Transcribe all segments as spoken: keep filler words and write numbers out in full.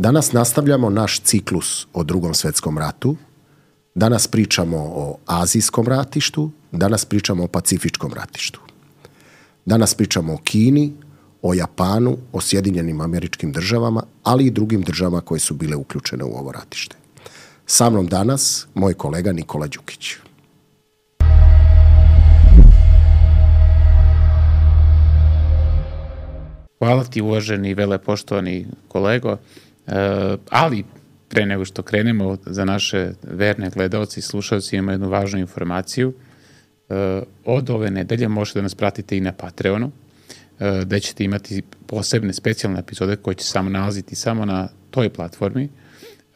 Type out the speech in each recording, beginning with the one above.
Danas nastavljamo naš ciklus o Drugom svjetskom ratu. Danas pričamo o azijskom ratištu, danas pričamo o pacifičkom ratištu. Danas pričamo o Kini, o Japanu, o Sjedinjenim Američkim Državama, ali i drugim državama koje su bile uključene u ovo ratište. Sa mnom danas moj kolega Nikola Đukić. Hvala ti, uvaženi i velepoštovani kolego, e, ali pre nego što krenemo, za naše verne gledaoci i slušalci imamo jednu važnu informaciju. E, od ove nedelje možete da nas pratite i na Patreonu, e, gde ćete imati posebne specijalne epizode koje će samo nalaziti samo na toj platformi.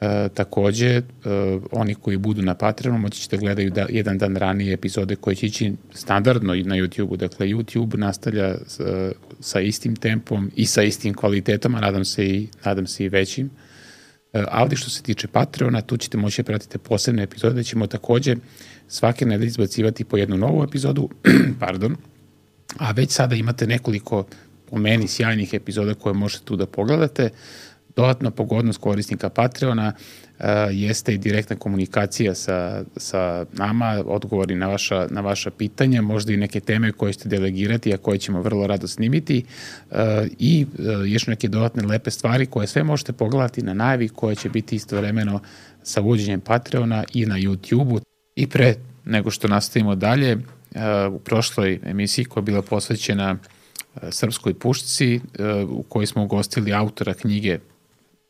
E, takođe, e, oni koji budu na Patreonu moći ćete gledaju da, jedan dan ranije epizode koje će ići standardno i na YouTube-u. Dakle, YouTube nastavlja s, sa istim tempom i sa istim kvalitetom, a nadam se i, nadam se i većim. E, ali što se tiče Patreona, tu ćete moći da pratite posebne epizode, da ćemo takođe svake nedelje izbacivati po jednu novu epizodu, pardon, a već sada imate nekoliko, po meni, sjajnih epizoda koje možete tu da pogledate. Dodatna pogodnost korisnika Patreona uh, jeste i direktna komunikacija sa, sa nama, odgovori na vaša, na vaša pitanja, možda i neke teme koje ćete delegirati, a koje ćemo vrlo rado snimiti uh, i uh, još neke dodatne lepe stvari koje sve možete pogledati na najavi koje će biti istovremeno sa uvođenjem Patreona i na YouTube-u. I pre nego što nastavimo dalje, uh, u prošloj emisiji koja je bila posvećena uh, Srpskoj pušci, uh, u kojoj smo ugostili autora knjige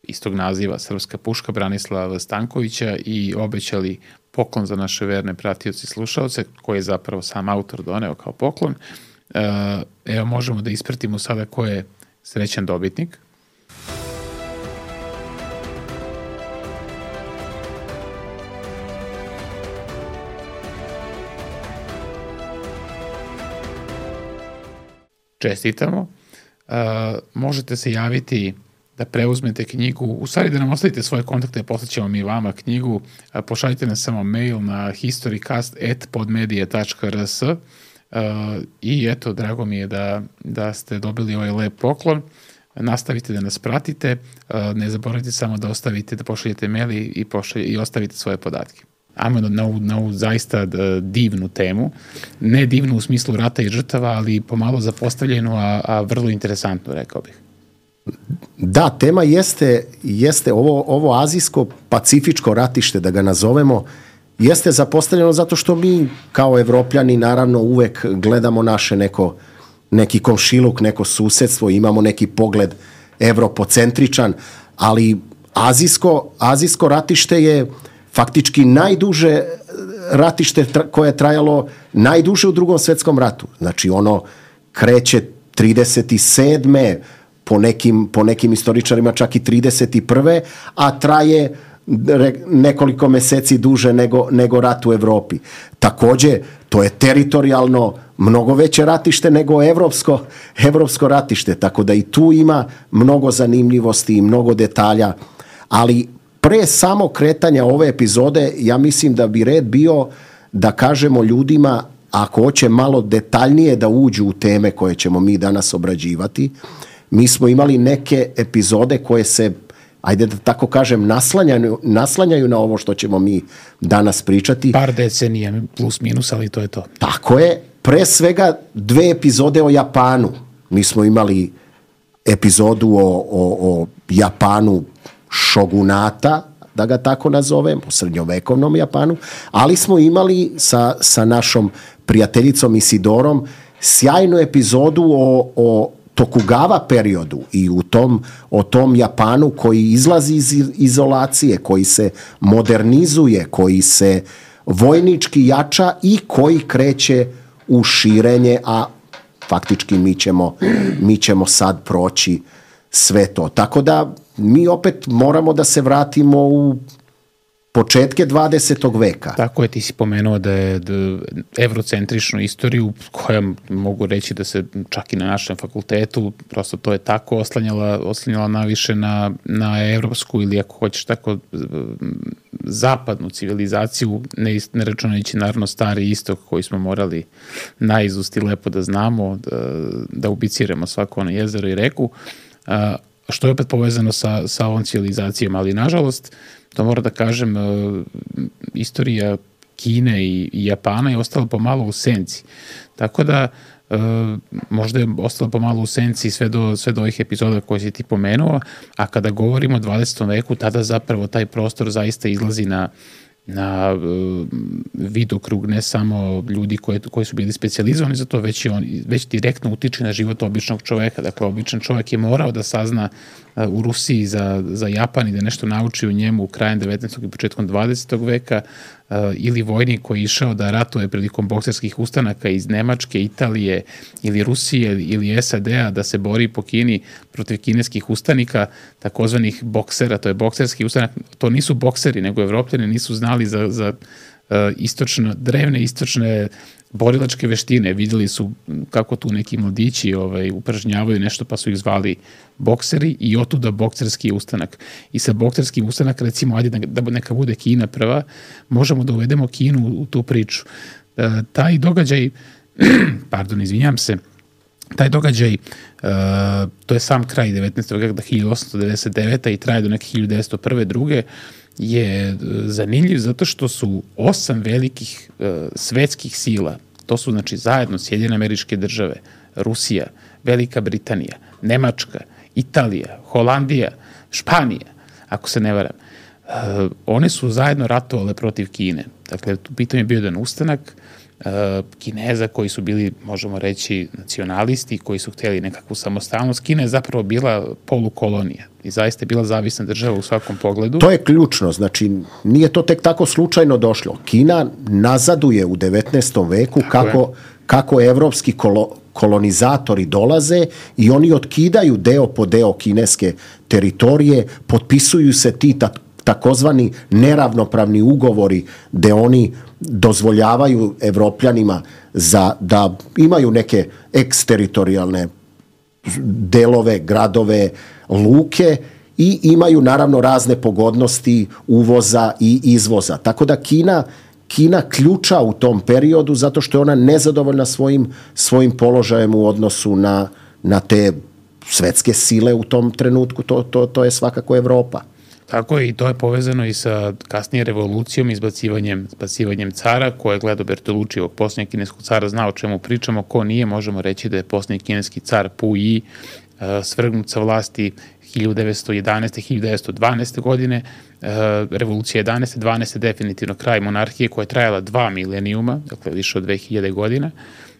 istog naziva Srpska puška, Branislava Stankovića, i obećali poklon za naše verne pratioci i slušalce, koji je zapravo sam autor doneo kao poklon. Evo, možemo da ispratimo sada ko je srećan dobitnik. Čestitamo. Možete se javiti da preuzmete knjigu, u stvari da nam ostavite svoje kontakte, poslaćemo mi vama knjigu, pošaljite nam samo mail na historycast at podmedia tačka r s uh, i eto, drago mi je da, da ste dobili ovaj lep poklon. Nastavite da nas pratite, uh, ne zaboravite samo da ostavite, da pošaljete mail i, pošalj, i ostavite svoje podatke. Ajmo na, na, na ovu zaista divnu temu, ne divnu u smislu rata i žrtava, ali pomalo zapostavljenu, a, a vrlo interesantnu, rekao bih. Da, tema jeste, jeste ovo, ovo azijsko-pacifičko ratište, da ga nazovemo, jeste zapostavljeno zato što mi kao Evropljani naravno uvek gledamo naše neko, neki komšiluk, neko susedstvo, imamo neki pogled evropocentričan, ali azijsko, azijsko ratište je faktički najduže ratište koje je trajalo najduže u Drugom svjetskom ratu. Znači ono kreće trideset sedme po nekim, po nekim istoričarima čak i trideset prve a traje nekoliko meseci duže nego, nego rat u Evropi. Takođe, to je teritorijalno mnogo veće ratište nego evropsko, evropsko ratište, tako da i tu ima mnogo zanimljivosti i mnogo detalja, ali pre samo kretanja ove epizode, ja mislim da bi red bio da kažemo ljudima, ako hoće malo detaljnije da uđu u teme koje ćemo mi danas obrađivati. Mi smo imali neke epizode koje se, ajde da tako kažem, naslanjaju, naslanjaju na ovo što ćemo mi danas pričati. Par decenija plus minus, ali to je to. Tako je. Pre svega dve epizode o Japanu. Mi smo imali epizodu o, o, o Japanu šogunata, da ga tako nazovem, o srednjovekovnom Japanu, ali smo imali sa, sa našom prijateljicom Isidorom sjajnu epizodu o, o Tokugawa periodu i u tom, o tom Japanu koji izlazi iz izolacije, koji se modernizuje, koji se vojnički jača i koji kreće u širenje, a faktički mi ćemo, mi ćemo sad proći sve to. Tako da mi opet moramo da se vratimo u početke dvadesetog veka. Tako je, ti si pomenuo da je evrocentričnu istoriju, koja mogu reći da se čak i na našem fakultetu, prosto to je tako, oslanjala, oslanjala naviše na, na evropsku ili ako hoćeš tako zapadnu civilizaciju, ne, ne računajući naravno stari istok koji smo morali naizust i lepo da znamo, da, da ubiciramo svako ono jezero i reku. što je opet povezano sa, sa ovom civilizacijom, ali nažalost, to moram da kažem, istorija Kine i, i Japana je ostala pomalo u senci. Tako da e, možda je ostala pomalo u senci sve do, sve do ovih epizoda koje si ti pomenuo, a kada govorimo o dvadesetom veku, tada zapravo taj prostor zaista izlazi na na uh, vidokrug ne samo ljudi koji, koji su bili specijalizovani za to, već, i on, već direktno utiče na život običnog čoveka. Dakle, običan čovek je morao da sazna uh, u Rusiji za, za Japan i da nešto nauči u njemu krajem devetnaestog i početkom dvadesetog veka, uh, ili vojnik koji je išao da ratuje prilikom bokserskih ustanaka iz Nemačke, Italije ili Rusije ili S A D-a da se bori po Kini protiv kineskih ustanika, takozvanih boksera, to je bokserski ustanak, to nisu bokseri, nego Evropljani nisu znali za, za uh, istočno, drevne istočne borilačke veštine. Videli su kako tu neki mladići ovaj, upražnjavaju nešto, pa su ih zvali bokseri i otuda bokserski ustanak. I sa bokserskim ustanak, recimo, ajde da neka bude Kina prva, možemo da uvedemo Kinu u tu priču. Uh, taj događaj, pardon, izvinjam se, taj događaj, uh, to je sam kraj devetnaestog veka, hiljadu osamsto devedeset devete i traje do neke hiljadu devetsto prve druge, je zanimljiv zato što su osam velikih uh, svetskih sila, to su znači zajedno Sjedinjene Američke Države, Rusija, Velika Britanija, Nemačka, Italija, Holandija, Španija, ako se ne varam, uh, one su zajedno ratovale protiv Kine. Dakle, tu pitanje je bio jedan ustanak uh, Kineza koji su bili, možemo reći, nacionalisti, koji su htjeli nekakvu samostalnost. Kina je zapravo bila polukolonija i zaista je bila zavisna država u svakom pogledu. To je ključno, znači nije to tek tako slučajno došlo. Kina nazaduje u devetnaestom veku kako, kako evropski kolo, kolonizatori dolaze i oni otkidaju deo po deo kineske teritorije, potpisuju se ti ta, takozvani neravnopravni ugovori gde oni dozvoljavaju Evropljanima za, da imaju neke eksteritorijalne delove, gradove, luke i imaju naravno razne pogodnosti uvoza i izvoza. Tako da Kina, Kina ključa u tom periodu zato što je ona nezadovoljna svojim, svojim položajem u odnosu na, na te svetske sile u tom trenutku. To, to, to je svakako Evropa. Tako je, i to je povezano i sa kasnije revolucijom, izbacivanjem, izbacivanjem cara, koje je gledao Bertolucci, ovog posljednjeg kineskog cara, zna o čemu pričamo, ko nije, možemo reći da je posljednji kineski car Pu Yi uh, svrgnut sa vlasti hiljadu devetsto jedanaeste. hiljadu devetsto dvanaeste. godine, uh, revolucija jedanaeste. dvanaeste. definitivno kraj monarhije koja je trajala dva milenijuma, dakle više od dve hiljade godina,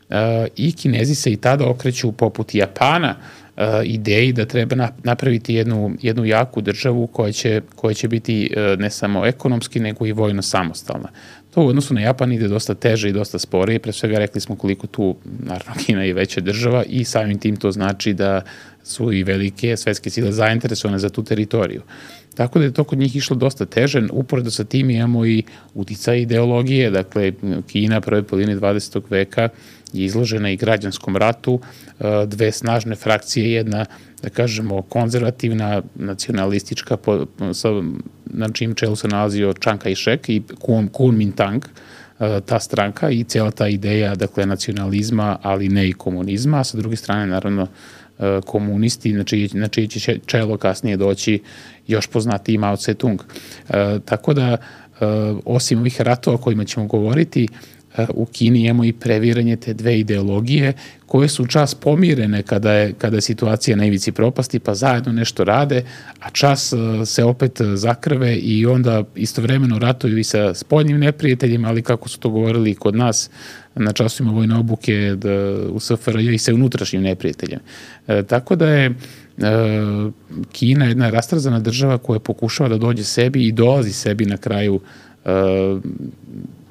uh, i Kinezi se i tada okreću poput Japana Uh, ideji da treba napraviti jednu, jednu jaku državu koja će, koja će biti uh, ne samo ekonomski, nego i vojno samostalna. To u odnosu na Japan ide dosta teže i dosta sporije, pre svega rekli smo koliko tu, naravno, Kina je veća država i samim tim to znači da su i velike svetske sile zainteresovane za tu teritoriju. Tako da je to kod njih išlo dosta teže. Uporedo sa tim imamo i uticaj ideologije, dakle Kina prve polovine dvadesetog veka je izložena i građanskom ratu, dve snažne frakcije, jedna, da kažemo, konzervativna, nacionalistička, na čim čelu se nalazio Chiang Kai-shek i Kuomintang, ta stranka i cijela ta ideja, dakle, nacionalizma, ali ne i komunizma, a sa druge strane, naravno, komunisti, na čije, na čije će čelo kasnije doći još poznatiji Mao Tse-tung. E, tako da, e, osim ovih ratova o kojima ćemo govoriti, e, u Kini imamo i previranje te dve ideologije koje su čas pomirene kada je, kada je situacija na ivici propasti, pa zajedno nešto rade, a čas e, se opet zakrve i onda istovremeno ratuju i sa spoljnim neprijateljima, ali kako su to govorili i kod nas, na časovima vojne obuke da, u S F R J i sa unutrašnjim neprijateljem. E, tako da je e, Kina jedna rastrzana država koja pokušava da dođe sebi i dolazi sebi na kraju e,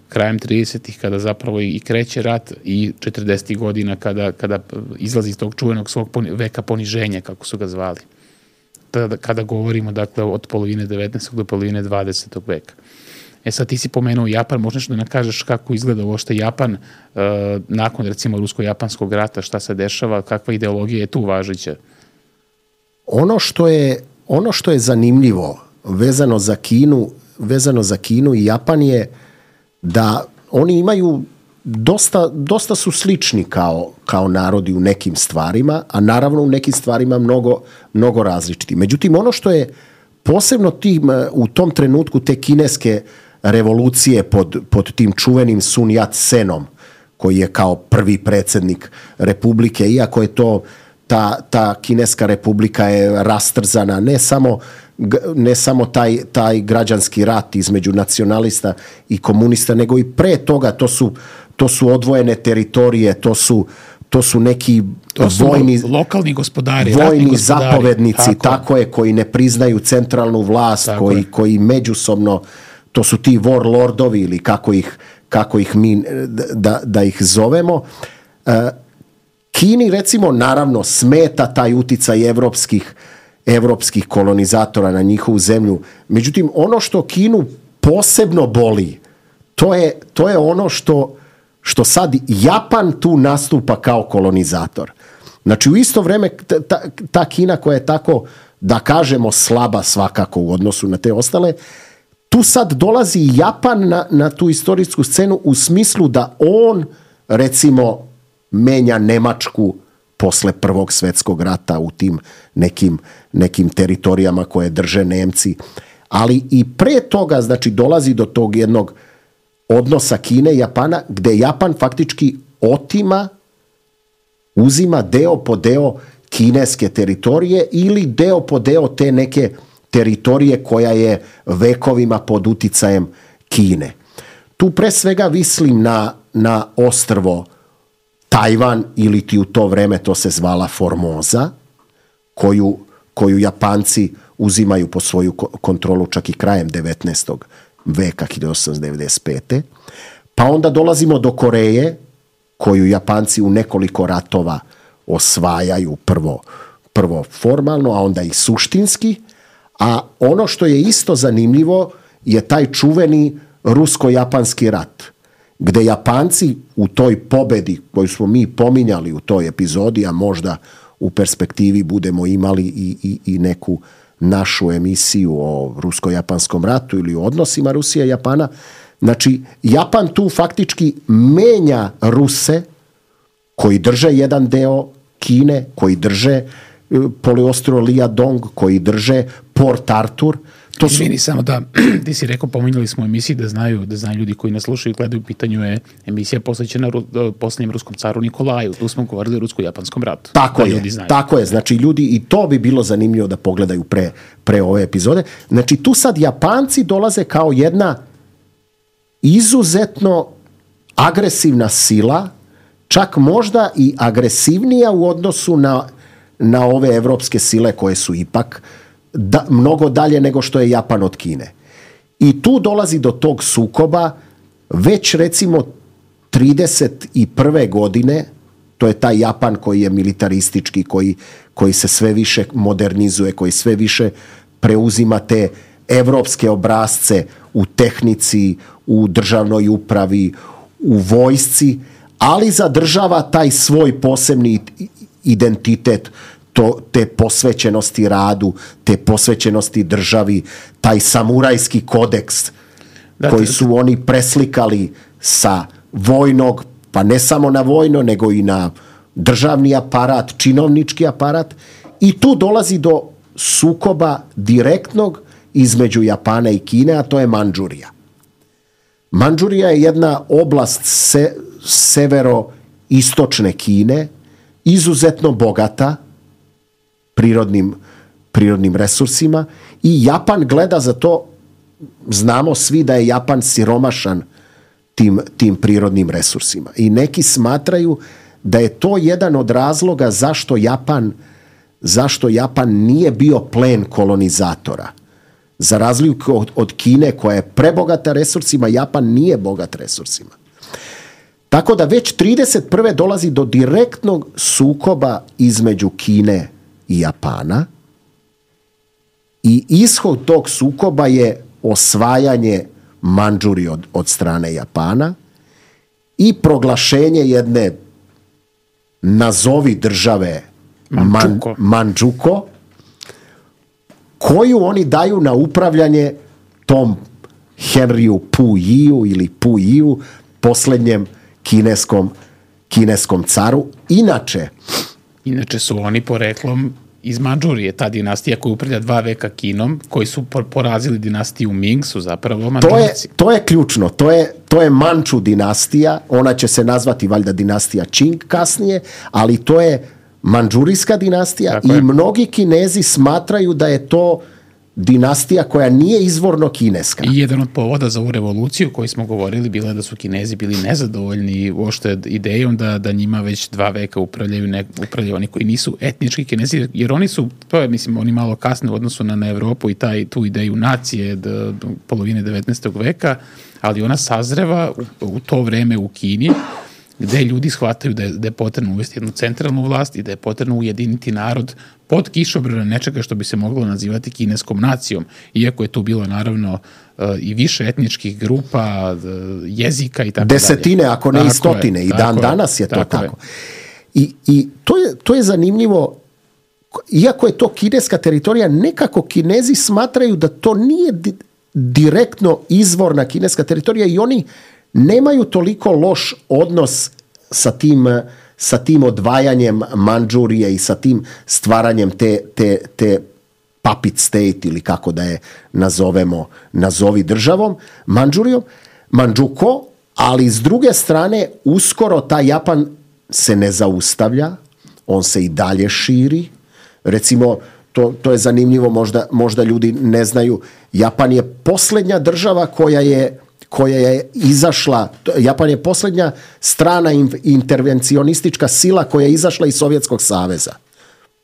krajem tridesetih kada zapravo i kreće rat i četrdesetih godina kada, kada izlazi iz tog čuvenog svog poni, veka poniženja, kako su ga zvali. Tada, kada govorimo, dakle, od polovine devetnaestog do polovine dvadesetog veka. E sad, ti si pomenuo Japan, možeš da nam kažeš kako izgleda uopšte Japan uh, nakon, recimo, rusko-japanskog rata, šta se dešava, kakva ideologija je tu važeća? Ono što je, ono što je zanimljivo vezano za Kinu, vezano za Kinu i Japan je da oni imaju dosta, dosta su slični kao, kao narodi u nekim stvarima, a naravno u nekim stvarima mnogo, mnogo različiti. Međutim, ono što je posebno tim, u tom trenutku te kineske revolucije pod, pod tim čuvenim Sun Yat-senom, koji je kao prvi predsjednik republike, iako je to ta, ta kineska republika je rastrzana, ne samo, ne samo taj, taj građanski rat između nacionalista i komunista, nego i pre toga to su, to su odvojene teritorije, to su, to su neki to su vojni, lokalni gospodari, vojni gospodari, zapovednici, tako. tako je, koji ne priznaju centralnu vlast, koji, koji međusobno, to su ti warlordovi ili kako ih, kako ih mi da, da ih zovemo. Kini, recimo, naravno smeta taj uticaj evropskih, evropskih kolonizatora na njihovu zemlju. Međutim, ono što Kinu posebno boli, to je, to je ono što, što sad Japan tu nastupa kao kolonizator. Znači, u isto vrijeme ta, ta Kina koja je tako, da kažemo, slaba svakako u odnosu na te ostale, tu sad dolazi Japan na, na tu istorijsku scenu u smislu da on, recimo, menja Nemačku posle Prvog svjetskog rata u tim nekim, nekim teritorijama koje drže Nemci. Ali i pre toga, znači, dolazi do tog jednog odnosa Kine i Japana, gde Japan faktički otima, uzima deo po deo kineske teritorije ili deo po deo te neke teritorije koja je vekovima pod uticajem Kine. Tu pre svega mislim na, na ostrvo Tajvan, ili ti u to vreme to se zvala Formoza, koju, koju Japanci uzimaju po svoju kontrolu čak i krajem devetnaestog veka, hiljadu osamsto devedeset pete. Pa onda dolazimo do Koreje, koju Japanci u nekoliko ratova osvajaju, prvo, prvo formalno, a onda i suštinski. A ono što je isto zanimljivo je taj čuveni rusko-japanski rat, gde Japanci u toj pobedi koju smo mi pominjali u toj epizodi, a možda u perspektivi budemo imali i, i, i neku našu emisiju o rusko-japanskom ratu ili o odnosima Rusije i Japana, znači Japan tu faktički menja Ruse koji drže jedan deo Kine, koji drže poluostrvo Liaodong, koji drže Port Arthur. To su... Izvini, samo da, ti si rekao, pominjali smo emisiji da znaju, da znaju ljudi koji nas slušaju i gledaju, u pitanju je emisija posvećena ru, posljednjem ruskom caru Nikolaju. Tu smo govorili o rusko-japanskom ratu. Tako je, tako je. Znači ljudi, i to bi bilo zanimljivo da pogledaju pre, pre ove epizode. Znači tu sad Japanci dolaze kao jedna izuzetno agresivna sila, čak možda i agresivnija u odnosu na, na ove evropske sile koje su ipak da, mnogo dalje nego što je Japan od Kine. I tu dolazi do tog sukoba već recimo trideset prve godine, to je taj Japan koji je militaristički, koji, koji se sve više modernizuje, koji sve više preuzima te evropske obrasce u tehnici, u državnoj upravi, u vojsci, ali zadržava taj svoj posebni identitet, to, te posvećenosti radu, te posvećenosti državi, taj samurajski kodeks da, koji su oni preslikali sa vojnog, pa ne samo na vojno, nego i na državni aparat, činovnički aparat, i tu dolazi do sukoba direktnog između Japana i Kine, a to je Mandžurija. Mandžurija je jedna oblast se, severo-istočne Kine, izuzetno bogata prirodnim, prirodnim resursima, i Japan gleda za to, znamo svi da je Japan siromašan tim, tim prirodnim resursima. I neki smatraju da je to jedan od razloga zašto Japan, zašto Japan nije bio plen kolonizatora. Za razliku od, od Kine koja je prebogata resursima, Japan nije bogat resursima. Tako da već trideset prve dolazi do direktnog sukoba između Kine i Japana, i ishod tog sukoba je osvajanje Mandžurije od, od strane Japana i proglašenje jedne nazovi države Mančuko. Man, Mančuko, koju oni daju na upravljanje tom Henriju Pujiju ili Pujiju, posljednjem kineskom, kineskom caru. Inače, Inače su oni poreklom iz Mandžurije, ta dinastija koja upravlja dva veka Kinom, koji su porazili dinastiju Ming, su zapravo Mandžurci. To je, to je ključno, to je, to je Manču dinastija, ona će se nazvati valjda dinastija Qing kasnije, ali to je Mandžurijska dinastija. Tako i je. Mnogi Kinezi smatraju da je to dinastija koja nije izvorno kineska. I jedan od povoda za ovu revoluciju koji smo govorili bilo je da su Kinezi bili nezadovoljni uopšte idejom da, da njima već dva veka upravljaju, ne, upravljaju oni koji nisu etnički Kinezi, jer oni su, to je mislim, oni malo kasne u odnosu na, na Evropu i taj, tu ideju nacije do, do polovine devetnaestog veka, ali ona sazreva u, u to vreme u Kini, gde ljudi shvataju da je, da je potrebno uvesti jednu centralnu vlast i da je potrebno ujediniti narod pod kišobranom nečega što bi se moglo nazivati kineskom nacijom, iako je tu bilo naravno i više etničkih grupa, jezika i tako dalje. Desetine, ako ne tako i stotine, je, i dan je, danas je to tako. tako. I, i to, je, to je zanimljivo, iako je to kineska teritorija, nekako Kinezi smatraju da to nije di, direktno izvorna kineska teritorija i oni nemaju toliko loš odnos sa tim, sa tim odvajanjem Mandžurije i sa tim stvaranjem te, te, te puppet state ili kako da je nazovemo, nazovi državom, Mandžurijom, Mandžuko, ali s druge strane uskoro taj Japan se ne zaustavlja, on se i dalje širi. Recimo, to, to je zanimljivo, možda, možda ljudi ne znaju, Japan je posljednja država koja je koja je izašla, Japan je posljednja strana intervencionistička sila koja je izašla iz Sovjetskog saveza.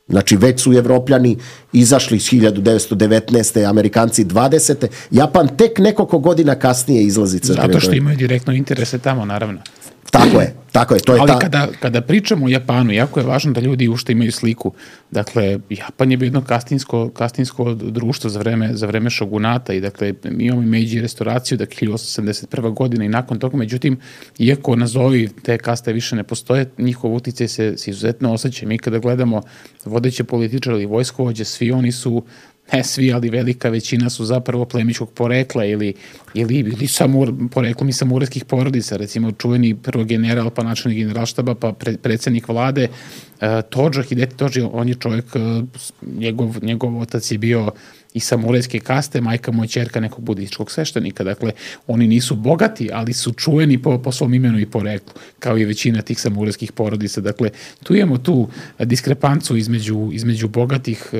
Znači već su Evropljani izašli iz hiljadu devetsto devetnaeste. Amerikanci dvadesete. Japan tek nekoliko godina kasnije izlazi. Zato što imaju direktno interese tamo, naravno. Tako je, tako je. To je Ali ta... kada, kada pričamo o Japanu, jako je važno da ljudi ušte imaju sliku. Dakle, Japan je bio jedno kastinsko, kastinsko društvo za vreme, za vreme šogunata i dakle, mi imamo i Meiji restauraciju, dakle, hiljadu osamsto sedamdeset prva godina i nakon toga, međutim, iako nazovi te kaste više ne postoje, njihov uticaj se, se izuzetno osjeća. Mi kada gledamo vodeće političare ili vojskovođe, svi oni su, ne svi, ali velika većina su zapravo plemičkog porekla ili, ili, ili samur, poreklom i samurajskih porodica. Recimo, čuveni prvo general, pa načelnik generalštaba, pa pre, predsjednik vlade, uh, Tojo, Hideti Tojo, on je čovjek, uh, njegov, njegov otac je bio i samurajske kaste, majka mu je ćerka nekog budističkog sveštenika. Dakle, oni nisu bogati, ali su čuveni po, po svom imenu i poreklu, kao i većina tih samurajskih porodica. Dakle, tu imamo tu diskrepancu između, između bogatih,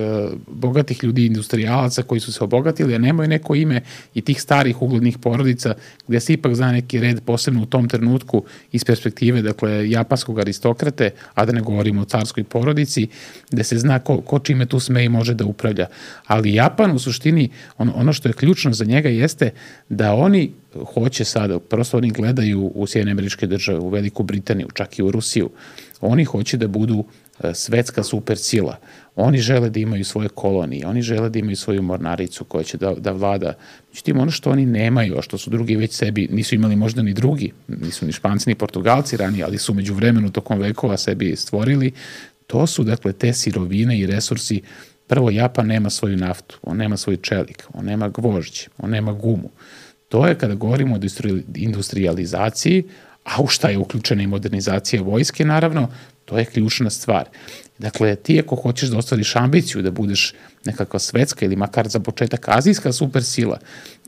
bogatih ljudi, industrijalaca koji su se obogatili, a nemaju neko ime i tih starih uglednih porodica gdje se ipak zna neki red, posebno u tom trenutku iz perspektive, dakle, japanskog aristokrate, a da ne govorimo o carskoj porodici, gdje se zna ko, ko čime tu sme i može da upravlja. Ali Japan u suštini, on, ono što je ključno za njega jeste da oni hoće sada, prosto oni gledaju u Sjedinjene Američke Države, u Veliku Britaniju, čak i u Rusiju, oni hoće da budu svetska supersila. Oni žele da imaju svoje kolonije, oni žele da imaju svoju mornaricu koja će da, da vlada. Međutim, ono što oni nemaju, a što su drugi već sebi, nisu imali možda ni drugi, nisu ni Španci ni Portugalci ranije, ali su među vremenu tokom vekova sebi stvorili, to su dakle te sirovine i resursi. Prvo, Japan nema svoju naftu, on nema svoj čelik, on nema gvožđe, on nema gumu. To je kada govorimo o industrializaciji, a u šta je uključena i modernizacija vojske, naravno, to je ključna stvar. Dakle, ti ako hoćeš da ostvariš ambiciju da budeš nekakva svetska ili makar za početak azijska supersila,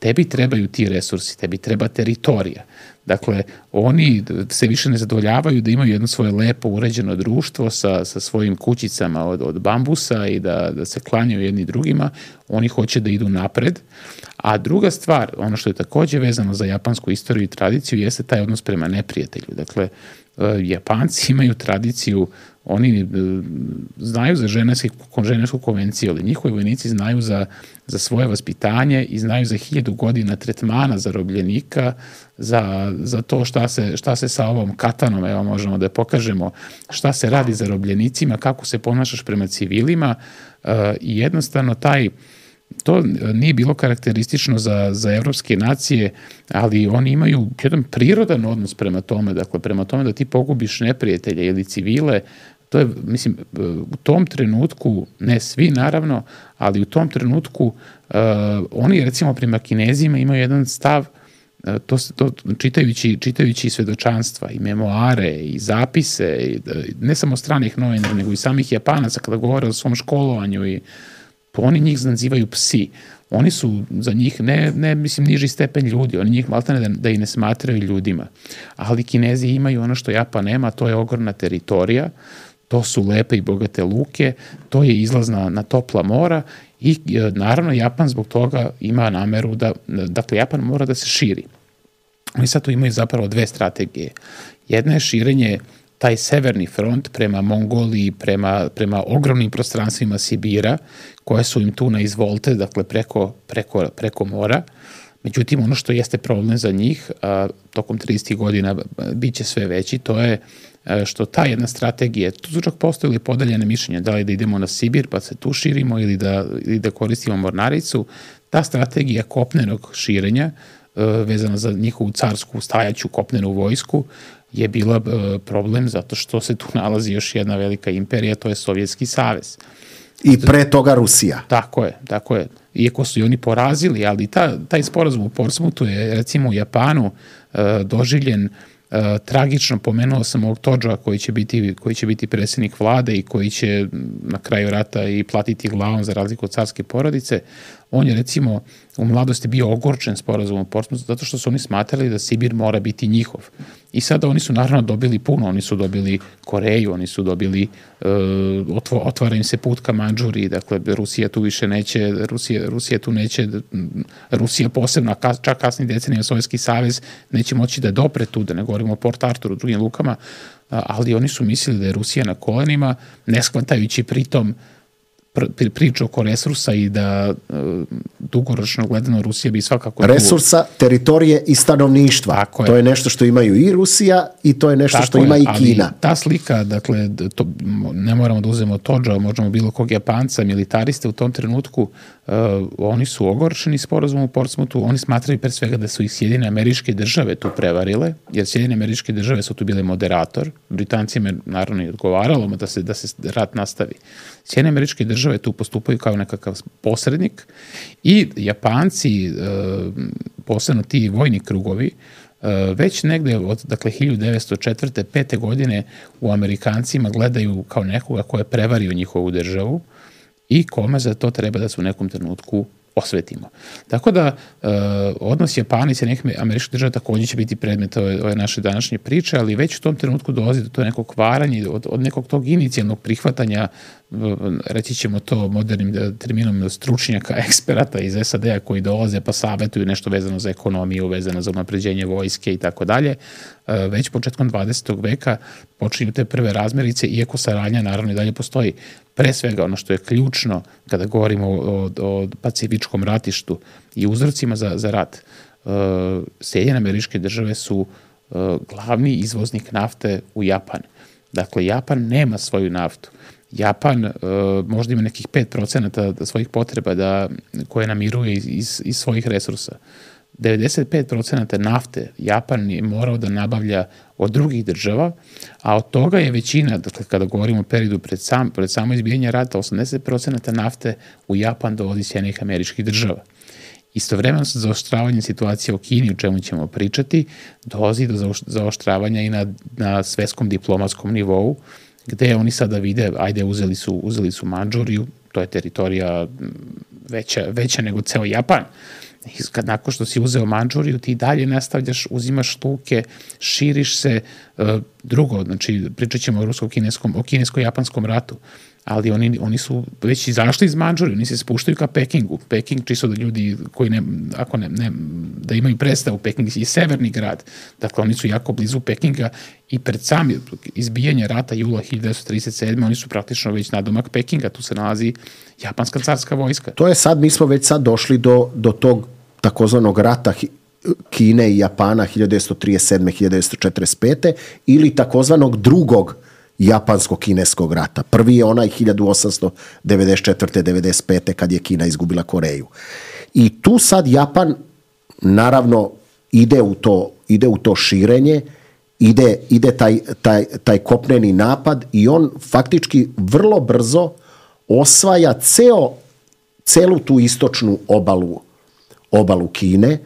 tebi trebaju ti resursi, tebi treba teritorija. Dakle, oni se više ne zadovoljavaju da imaju jedno svoje lepo uređeno društvo sa, sa svojim kućicama od, od bambusa i da, da se klanjaju jedni drugima, oni hoće da idu napred. A druga stvar, ono što je također vezano za japansku istoriju i tradiciju, jeste taj odnos prema neprijatelju. Dakle, Japanci imaju tradiciju, oni znaju za ženevsku konvenciju, ali njihovi vojnici znaju za, za svoje vaspitanje i znaju za hiljadu godina tretmana zarobljenika, za, za to šta se, šta se sa ovom katanom, evo možemo da pokažemo, šta se radi zarobljenicima, kako se ponašaš prema civilima i jednostavno taj to nije bilo karakteristično za, za evropske nacije, ali oni imaju jedan prirodan odnos prema tome, dakle prema tome da ti pogubiš neprijatelje ili civile, to je, mislim, u tom trenutku, ne svi naravno, ali u tom trenutku uh, oni recimo prema Kinezima imaju jedan stav To, to, čitajući, čitajući svedočanstva i memoare i zapise, i, ne samo stranih novinara, nego i samih Japanaca kada govore o svom školovanju, i oni njih nazivaju psi. Oni su za njih ne, ne mislim, niži stepen ljudi, oni njih maltene da, da i ne smatraju ljudima. Ali Kinezi imaju ono što Japan nema, to je ogromna teritorija, to su lepe i bogate luke, to je izlaz na, na topla mora i naravno Japan zbog toga ima nameru da, dakle Japan mora da se širi. Oni sad tu imaju zapravo dve strategije. Jedna je širenje, taj severni front prema Mongoliji, prema, prema ogromnim prostranstvima Sibira, koje su im tu na izvolte, dakle preko, preko, preko mora. Međutim, ono što jeste problem za njih, a, tokom tridesetih godina bit će sve veći, to je a, što ta jedna strategija, tu su čak postojili podeljene mišljenja, da li da idemo na Sibir pa se tu širimo ili da, ili da koristimo mornaricu, ta strategija kopnenog širenja, a, vezana za njihovu carsku stajaću kopnenu vojsku, je bila a, problem zato što se tu nalazi još jedna velika imperija, to je Sovjetski savez. I pre toga Rusija. Tako je, tako je. Iako su i oni porazili, ali ta, taj sporazum u Portsmouthu je recimo u Japanu uh, doživljen uh, tragično. Pomenuo sam ovog Todža koji će biti, koji će biti predsjednik vlade i koji će na kraju rata i platiti glavom za razliku od carske porodice. On je recimo u mladosti bio ogorčen sporazumom u Portsmouthu zato što su oni smatrali da Sibir mora biti njihov. I sada oni su naravno dobili puno, oni su dobili Koreju, oni su dobili, uh, otvara im se put ka Mandžuriji, dakle Rusija tu više neće, Rusija, Rusija tu neće, Rusija posebno, čak kasnije decenija Sovjetski savez neće moći da dopre tu, da ne govorimo o Port Arturu, drugim lukama, ali oni su mislili da je Rusija na kolenima, ne shvatajući pritom priču oko resursa i da uh, dugoročno gledano Rusija bi svakako... Resursa, tu... teritorije i stanovništva. Je. To je nešto što imaju i Rusija i to je nešto tako što je, ima i Kina. Ali ta slika, dakle, to, ne moramo da uzmemo Todža, možemo bilo kog Japanca, militariste u tom trenutku, uh, oni su ogorčeni sporazumom u Portsmouthu, oni smatraju pre svega da su ih Sjedinjene Američke Države tu prevarile, jer Sjedinjene Američke Države su tu bile moderator, Britancima naravno i odgovaralo da se, da se rat nastavi. Sjedinjene Američke Države tu postupaju kao nekakav posrednik i Japanci, posebno ti vojni krugovi, već negde od dakle, hiljadu devetsto četvrte. pete godine u Amerikancima gledaju kao nekoga ko je prevario njihovu državu i kome za to treba da se u nekom trenutku osvetimo. Tako da uh, odnos Japana i Sjedinjenih Američkih Država također će biti predmet ove, ove naše današnje priče, ali već u tom trenutku dolazi do to nekog kvaranja, od, od nekog tog inicijalnog prihvatanja, reći ćemo to modernim terminom, stručnjaka, eksperata iz es a de a koji dolaze pa savetuju nešto vezano za ekonomiju, vezano za unapređenje vojske i tako dalje. Već početkom dvadesetog veka počinju te prve razmirice, iako saradnja naravno i dalje postoji. Pre svega ono što je ključno kada govorimo o, o pacifičkom ratištu i uzrocima za, za rat, Sjedinjene Američke Države su glavni izvoznik nafte u Japan. Dakle, Japan nema svoju naftu. Japan uh, možda ima nekih pet procenata svojih potreba da, koje namiruje iz, iz, iz svojih resursa. devedeset pet procenata nafte Japan je morao da nabavlja od drugih država, a od toga je većina, dakle kada govorimo o periodu pred, sam, pred samo izbijanje rata, osamdeset procenata nafte u Japan dovodi Sjedinjenih Američkih Država. Istovremeno sa zaoštravanjem situacije u Kini, o čemu ćemo pričati, dolazi do zaoštravanja i na, na svetskom diplomatskom nivou, gde oni sada vide, ajde, uzeli su, uzeli su Mandžuriju, to je teritorija veća, veća nego ceo Japan. I kad nakon što si uzeo Mandžuriju, ti dalje nastavljaš, uzimaš luke, širiš se. Drugo, znači, pričat ćemo o rusko-kineskom, o kinesko-japanskom ratu, ali oni, oni su već izašli iz Mandžurije, oni se spuštaju ka Pekingu. Peking, čisto da ljudi koji ne, ako ne, ne da imaju predstavu, Peking je severni grad, dakle oni su jako blizu Pekinga i pred sami izbijanje rata jula hiljadu devetsto trideset sedme. oni su praktično već nadomak Pekinga, tu se nalazi japanska carska vojska. To je sad, mi smo već sad došli do, do tog takozvanog rata Kine i Japana hiljadu devetsto trideset sedme. hiljadu devetsto četrdeset pete. ili takozvanog drugog japansko-kineskog rata. Prvi je onaj hiljadu osamsto devedeset četvrte. devedeset pete. kad je Kina izgubila Koreju. I tu sad Japan naravno ide u to, ide u to širenje, ide, ide taj, taj, taj kopneni napad i on faktički vrlo brzo osvaja ceo, celu tu istočnu obalu, obalu Kine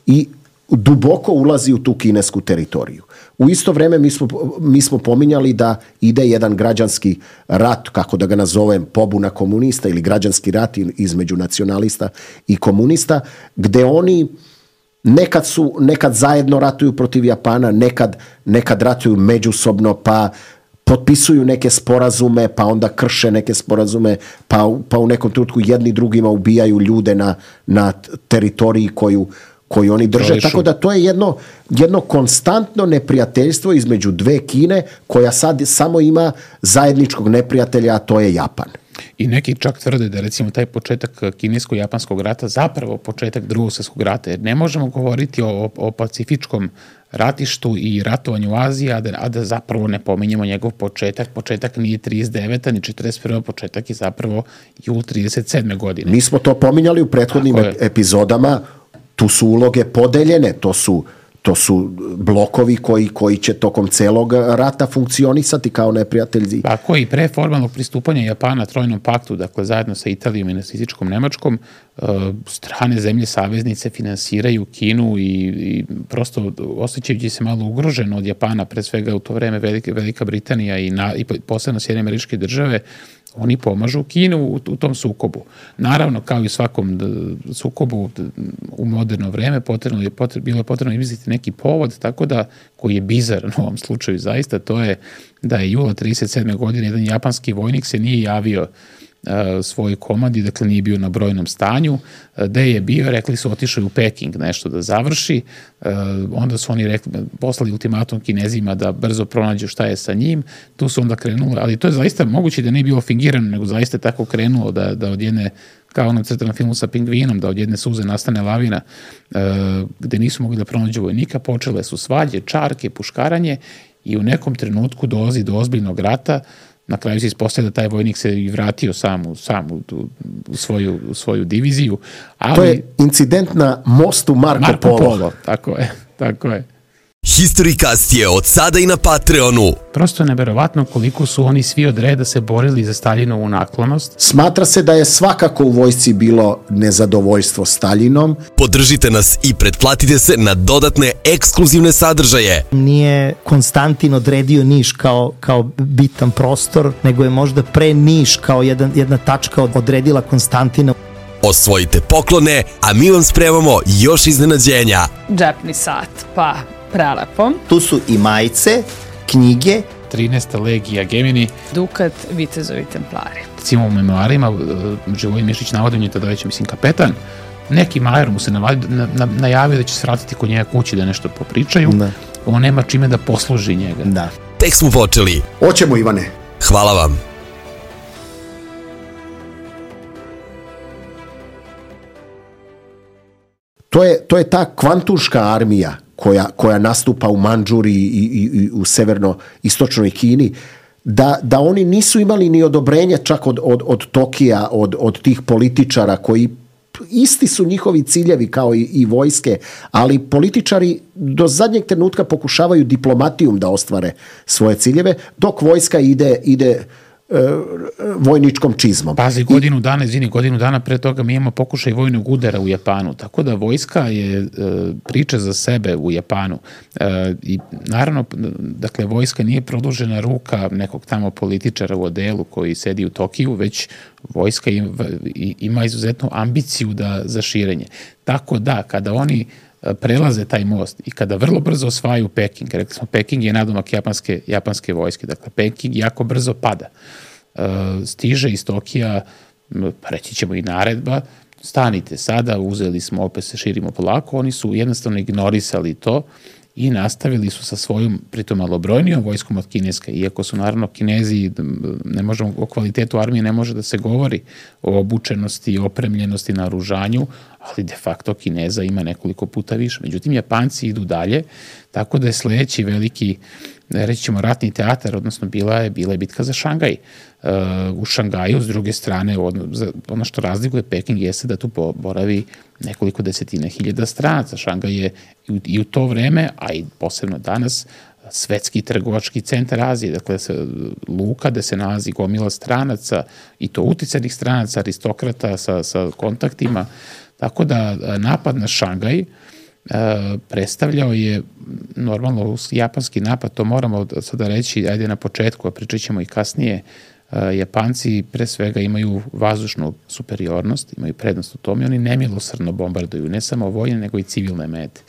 i duboko ulazi u tu kinesku teritoriju. U isto vrijeme mi smo, mi smo pominjali da ide jedan građanski rat, kako da ga nazovem, pobuna komunista ili građanski rat između nacionalista i komunista, gdje oni nekad su, nekad zajedno ratuju protiv Japana, nekad, nekad ratuju međusobno, pa potpisuju neke sporazume, pa onda krše neke sporazume, pa, pa u nekom trenutku jedni drugima ubijaju ljude na, na teritoriji koju koju oni drže, Prolišu. Tako da to je jedno, jedno konstantno neprijateljstvo između dve Kine, koja sad samo ima zajedničkog neprijatelja, a to je Japan. I neki čak tvrde da recimo taj početak kinesko-japanskog rata zapravo početak drugog svjetskog rata, jer ne možemo govoriti o, o pacifičkom ratištu i ratovanju u Aziji, a da, a da zapravo ne pominjemo njegov početak. Početak nije trideset deveta ni četrdeset prva početak je zapravo jul trideset sedme godine. Mi smo to pominjali u prethodnim epizodama. Tu su uloge podeljene, to su, to su blokovi koji, koji će tokom celog rata funkcionisati kao neprijatelji. Tako i pre formalnog pristupanja Japana Trojnom paktu, dakle zajedno sa Italijom i nacističkom Nemačkom, strane zemlje saveznice finansiraju Kinu i, i prosto osjećajući se malo ugroženo od Japana, pre svega u to vreme Velika, Velika Britanija i, na, i posebno Sjedinjene Američke Države, oni pomažu Kinu u, u tom sukobu. Naravno, kao i u svakom sukobu u moderno vreme, potrebno je, potrebno, bilo je potrebno izmisliti neki povod, tako da, koji je bizaran u ovom slučaju zaista, to je da je jula trideset sedme godine jedan japanski vojnik se nije javio uh, svojoj komandi, dakle nije bio na brojnom stanju, uh, gde je bio, rekli su, otišao u Peking nešto da završi, uh, onda su oni rekli, poslali ultimatum Kinezima da brzo pronađu šta je sa njim, tu su onda krenuli, ali to je zaista moguće da nije bilo fingirano, nego zaista tako krenulo da, da od jedne, kao na crtanom filmu sa pingvinom, da od jedne suze nastane lavina, uh, gde nisu mogli da pronađu vojnika, počele su svađe, čarke, puškaranje i u nekom trenutku dolazi do ozbiljnog rata. Na kraju se ispostavlja da taj vojnik se i vratio sam u, sam u, u, svoju, u svoju diviziju. Ali, to je incident na mostu Marko, Marko Polo. Polo. Tako je, tako je. Historikast je od sada i na Patreonu. Prosto je neverovatno koliko su oni svi od reda se borili za Staljinovu naklonost. Smatra se da je svakako u vojsci bilo nezadovoljstvo Staljinom. Podržite nas i pretplatite se na dodatne ekskluzivne sadržaje. Nije Konstantin odredio Niš kao, kao bitan prostor, nego je možda pre Niš kao jedan, jedna tačka odredila Konstantina. Osvojite poklone, a mi vam spremamo još iznenađenja. Džepni sat, pa prelepo. Tu su i majice, knjige. trinaesta legija Gemini. Dukat, vitezovi templari. Recimo u memoarima Živojin Mišić navodim je tada već, mislim, kapetan. Neki majer mu se navadio, na, na, najavio da će se vratiti kod njega kući da nešto popričaju. Da. On nema čime da posluži njega. Da. Tek smo počeli. Hoćemo, Ivane. Hvala vam. To je, to je ta kvantuška armija koja, koja nastupa u Mandžuriji i, i, i u severno-istočnoj Kini, da, da oni nisu imali ni odobrenje čak od, od, od Tokija, od, od tih političara koji isti su njihovi ciljevi kao i, i vojske, ali političari do zadnjeg trenutka pokušavaju diplomatijom da ostvare svoje ciljeve, dok vojska ide, ide vojničkom čizmom. Pazi, godinu dana, izvini, godinu dana pre toga mi imamo pokušaj vojnog udara u Japanu, tako da vojska je e, priča za sebe u Japanu. E, I naravno, dakle, vojska nije produžena ruka nekog tamo političara u odelu koji sedi u Tokiju, već vojska ima, ima izuzetnu ambiciju da, za širenje. Tako da, kada oni prelaze taj most i kada vrlo brzo osvajaju Peking, rekli smo, Peking je nadomak japanske, japanske vojske, dakle, Peking jako brzo pada. E, stiže iz Tokija, reći ćemo i naredba, stanite sada, uzeli smo, opet se širimo polako, oni su jednostavno ignorisali to i nastavili su sa svojom, pritom malobrojnijom vojskom od kineske, iako su naravno Kinezi, ne možemo, o kvalitetu armije ne može da se govori, o obučenosti, opremljenosti, naoružanju, ali de facto Kineza ima nekoliko puta više. Međutim, Japanci idu dalje, tako da je sledeći veliki, reći ćemo, ratni teatar, odnosno bila je, bila je bitka za Šangaj. Uh, u Šangaju, s druge strane, ono, ono što razlikuje Peking jeste da tu boravi nekoliko desetina hiljada stranaca. Šangaj je i u, i u to vreme, a i posebno danas, svetski trgovački centar Azije, dakle se, luka gde se nalazi gomila stranaca i to uticanih stranaca, aristokrata sa, sa kontaktima. Tako da napad na Šangaj predstavljao je normalno japanski napad, to moramo sada reći, ajde na početku, a pričat ćemo i kasnije. Japanci pre svega imaju vazdušnu superiornost, imaju prednost u tome, oni nemilosrdno bombarduju, ne samo vojne, nego i civilne mete.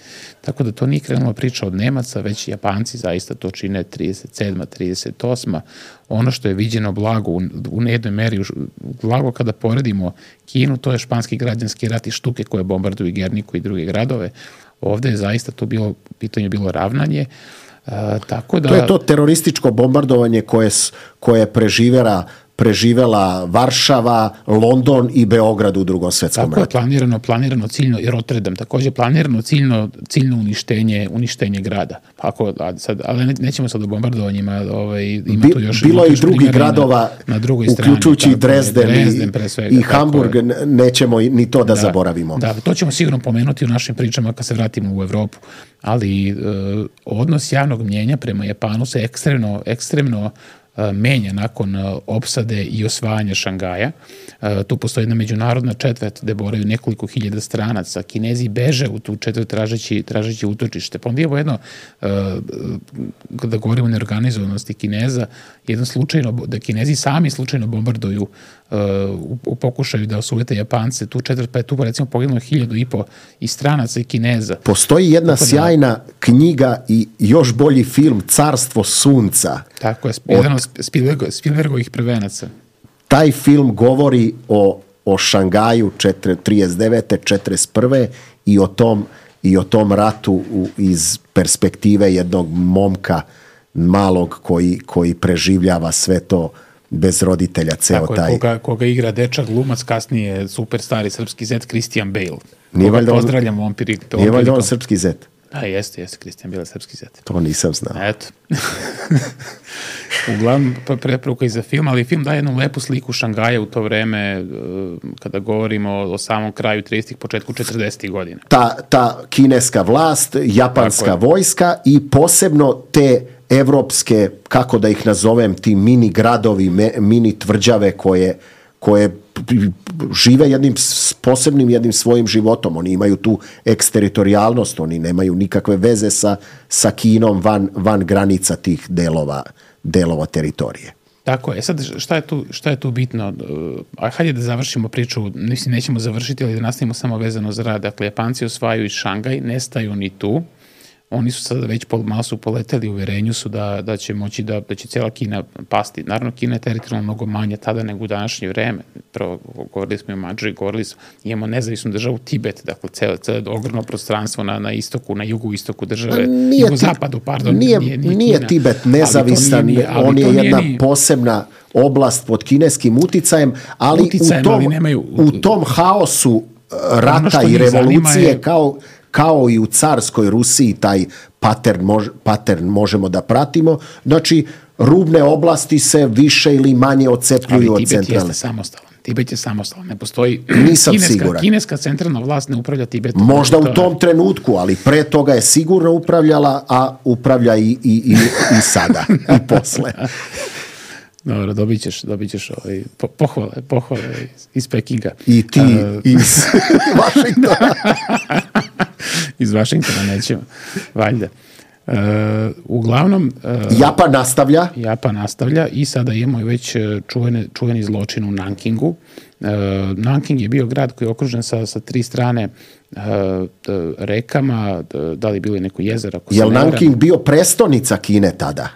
Tako da to nije krenula priča od Nemaca, već Japanci zaista to čine trideset sedma trideset osma Ono što je viđeno blago u, u jednoj meri, blago kada poredimo Kinu, to je španski građanski rat i štuke koje bombarduju Gerniku i druge gradove. Ovde je zaista to bilo, pitanje bilo ravnanje. Uh, tako da... To je to terorističko bombardovanje koje, koje preživela, preživela Varšava, London i Beograd u Drugom svetskom ratu. Tako je planirano, planirano ciljno, i Rotterdam takođe planirano ciljno, ciljno uništenje, uništenje grada. Ako, sad, ali ne, nećemo sad o bombardovanjima, ovaj, ima Bi, tu još... bilo je i još drugih gradova, na, na drugoj strani, uključujući tako, Dresden, Dresden i, svega, i Hamburg, je. Nećemo ni to da, da zaboravimo. Da, to ćemo sigurno pomenuti u našim pričama kad se vratimo u Evropu. Ali uh, odnos javnog mnjenja prema Japanu se ekstremno, ekstremno menja nakon opsade i osvajanja Šangaja. Tu postoji jedna međunarodna četvrt gde boraju nekoliko hiljada stranaca. Kinezi beže u tu četvrt tražeći, tražeći utočište. Pa onda imamo jedno, kada govorimo o neorganizovanosti Kineza, jedno slučajno, da Kinezi sami slučajno bombarduju u, u pokušaju da osvojite Japance, tu četvrt, pa je tu recimo poginulo hiljadu i po i stranaca i Kineza. Postoji jedna tako sjajna da, knjiga i još bolji film Carstvo sunca. Tako je, jedan od Spielbergo, Spielbergovih prvenaca. Taj film govori o, o Šangaju trideset devete četrdeset prve i o tom, i o tom ratu u, iz perspektive jednog momka malog koji, koji preživljava sve to bez roditelja, ceo tako taj... Je, koga, koga igra dečak glumac, kasnije super stari srpski zet Christian Bale. Nije valjda on, pozdravljam ovom prilikom. Nije valjda on srpski zet? Da, jeste, jeste, Christian Bale srpski zet. To nisam znao. Eto. Uglavnom preporuka i za film, ali film daje jednu lepu sliku Šangaja u to vreme, kada govorimo o samom kraju tridesetih, početku četrdesetih godina. Ta, ta kineska vlast, japanska vojska i posebno te evropske, kako da ih nazovem, ti mini gradovi, mini tvrđave koje, koje žive jednim posebnim jednim svojim životom. Oni imaju tu eksteritorijalnost, oni nemaju nikakve veze sa, sa Kinom van, van granica tih delova, delova teritorije. Tako je. Sad, šta je tu, šta je tu bitno? A hajde da završimo priču, mislim, nećemo završiti, ali da nastavimo samo vezano za rad. Dakle, Japanci osvajaju i Šangaj, nestaju ni tu. Oni su sada već pol, malo su poleteli, u uverenju su da, da će moći da, da će cijela Kina pasti. Naravno, Kina je teritorijalno mnogo manje tada nego u današnje vreme. Prvo, govorili smo i o Madžari, govorili smo, imamo nezavisnu državu Tibet, dakle, cijelo, cijelo ogromno prostranstvo na, na istoku, na jugu istoku države, jugo-zapadu, pardon. Nije, nije, nije, nije Tibet nezavisan, nije, on je jedna nije, posebna oblast pod kineskim uticajem, ali, uticajem, u, tom, ali nemaju, u tom haosu rata i revolucije je, kao... kao i u carskoj Rusiji, taj pattern, mož, pattern možemo da pratimo. Znači, rubne oblasti se više ili manje odcepljuju od centralne. Ali Tibet jeste samostalan. Tibet je samostalan. Ne postoji... Nisam kineska, siguran. Kineska centralna vlast ne upravlja Tibetom. Možda u tom trenutku, ali pre toga je sigurno upravljala, a upravlja i, i, i, i sada, i posle. Dobro, dobit ćeš, dobit ćeš ovaj, po, pohvale, pohvale iz, iz Pekinga. I ti uh, iz Vašingtona. Iz Vašingtona nećemo, valjda. Uh, uglavnom... Uh, Japan nastavlja. Japan nastavlja i sada imamo već čuvene, čuveni zločin u Nankingu. Uh, Nanking je bio grad koji je okružen sa, sa tri strane uh, rekama, da li bilo je neko jezero. Je li Nanking bio prestonica Kine tada?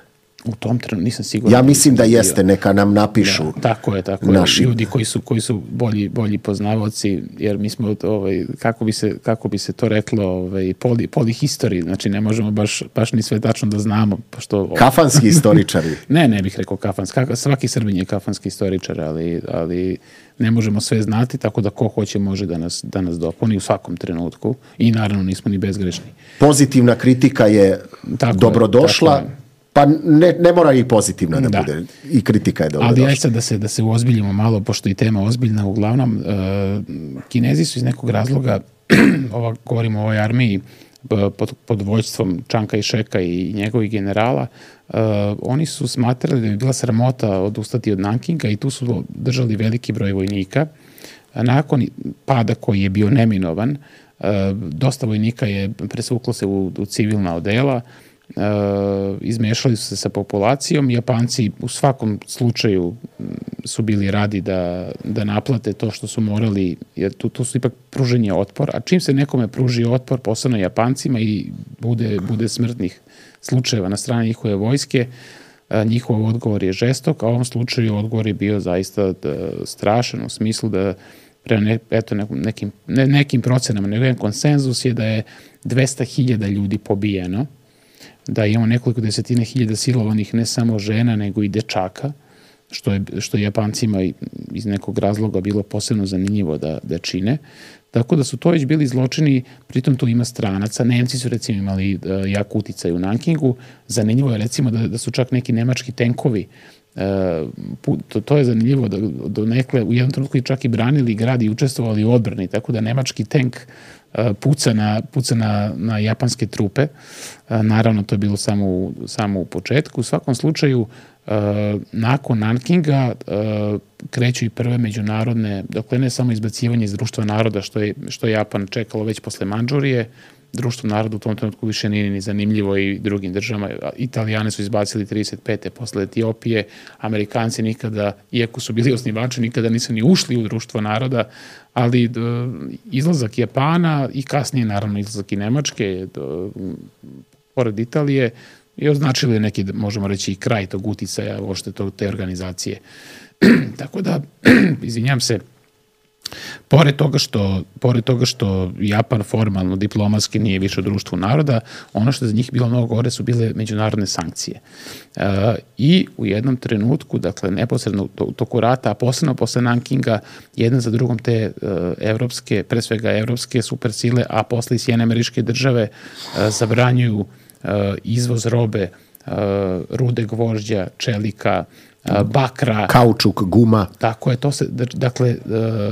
U tom trenutku nisam siguran. Ja mislim da jeste, neka nam napišu. Da, tako je, tako naši. Je. Ljudi koji su, koji su bolji, bolji poznavaoci, jer mi smo, ovaj, kako, bi se, kako bi se to reklo, ovaj, poli, polihistori, znači ne možemo baš, baš ni sve tačno da znamo. Pošto, kafanski istoričari. ne, ne bih rekao kafanski. Svaki Srbin je kafanski istoričar, ali, ali ne možemo sve znati, tako da ko hoće može da nas, da nas dopuni u svakom trenutku i naravno nismo ni bezgrešni. Pozitivna kritika je tako dobrodošla. Je, pa ne, ne mora i pozitivna da, da bude. I kritika je dobrodošla. Ali ajde sad da se, da se uozbiljimo malo, pošto i tema ozbiljna. Uglavnom, uh, Kinezi su iz nekog razloga, ova, govorimo o ovoj armiji, pod, pod vođstvom Čanka i Šeka i njegovih generala, uh, oni su smatrali da bi bila sramota odustati od Nankinga i tu su držali veliki broj vojnika. Nakon pada koji je bio neminovan, dosta vojnika je presvuklo se u, u civilna odela, Uh, izmešali su se sa populacijom. Japanci u svakom slučaju su bili radi da, da naplate to što su morali, jer tu, tu su ipak pruženje otpor, a čim se nekome pruži otpor, posebno Japancima, i bude, bude smrtnih slučajeva na strani njihove vojske, uh, njihov odgovor je žestok, a u ovom slučaju odgovor je bio zaista da, strašan, u smislu da prema ne, eto, nekim, ne, nekim procenama, nego jedan konsenzus je da je dvesta hiljada ljudi pobijeno, da imamo nekoliko desetine hiljada silovanih ne samo žena, nego i dečaka, što je, što je Japancima iz nekog razloga bilo posebno zanimljivo da, da čine. Tako da su to već bili zločini, pritom tu ima stranaca. Nemci su recimo imali uh, jak uticaj u Nankingu. Zanimljivo je recimo da, da su čak neki nemački tenkovi, uh, to, to je zanimljivo da do nekle u jednom trenutku čak i branili grad i učestvovali u odbrani, tako da nemački tenk puca na, puca na, na japanske trupe. Naravno, to je bilo samo u, samo u početku. U svakom slučaju, nakon Nankinga kreću i prve međunarodne, dakle ne samo izbacivanje iz društva naroda, što je, što je Japan čekalo već posle Mandžurije. Društvo naroda u tom trenutku više nije ni zanimljivo i drugim državama. Italijane su izbacili trideset pete posle Etiopije, Amerikanci nikada, iako su bili osnivači, nikada nisu ni ušli u društvo naroda, ali do, izlazak Japana i kasnije naravno izlazak i Nemačke do, pored Italije je označili neki, možemo reći, i kraj tog uticaja uopšte te organizacije. Tako da, izvinjam se, Pored toga, što, pored toga što Japan formalno, diplomatski nije više u društvu naroda, ono što je za njih bilo mnogo gore su bile međunarodne sankcije. E, I u jednom trenutku, dakle neposredno u toku rata, a posebno posle Nankinga, jedan za drugom te e, evropske, pre svega evropske supersile, a posle i Sjedinjene Američke Države e, zabranjuju e, izvoz robe, e, rude gvožđa, čelika, bakra, kaučuk, guma. Tako je, to se, dakle,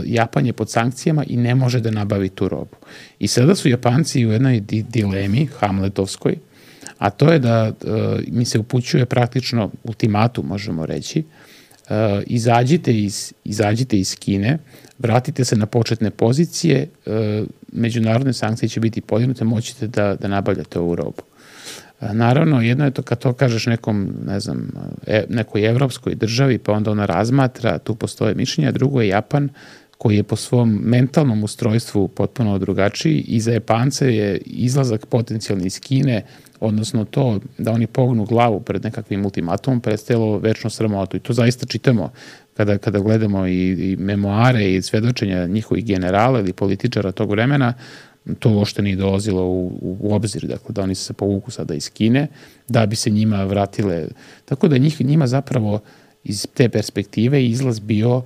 Japan je pod sankcijama i ne može da nabavi tu robu. I sada su Japanci u jednoj dilemi, hamletovskoj, a to je da mi se upućuje praktično ultimatum, možemo reći, izađite iz, izađite iz Kine, vratite se na početne pozicije, međunarodne sankcije će biti podignute, moćete da, da nabavljate ovu robu. Naravno, jedno je to kad to kažeš nekom, ne znam, e, nekoj evropskoj državi, pa onda ona razmatra, tu postoje mišljenja, drugo je Japan, koji je po svom mentalnom ustrojstvu potpuno drugačiji, i za Japance je izlazak potencijalni iz Kine, odnosno to da oni pognu glavu pred nekakvim ultimatumom, predstavilo večno sramotu. I to zaista čitamo kada, kada gledamo i, i memoare i svedočenja njihovih generala ili političara tog vremena. To uopšte nije dolazilo u, u obzir, dakle da oni se povuku sada iz Kine, da bi se njima vratile. Tako da njih, njima zapravo iz te perspektive izlaz bio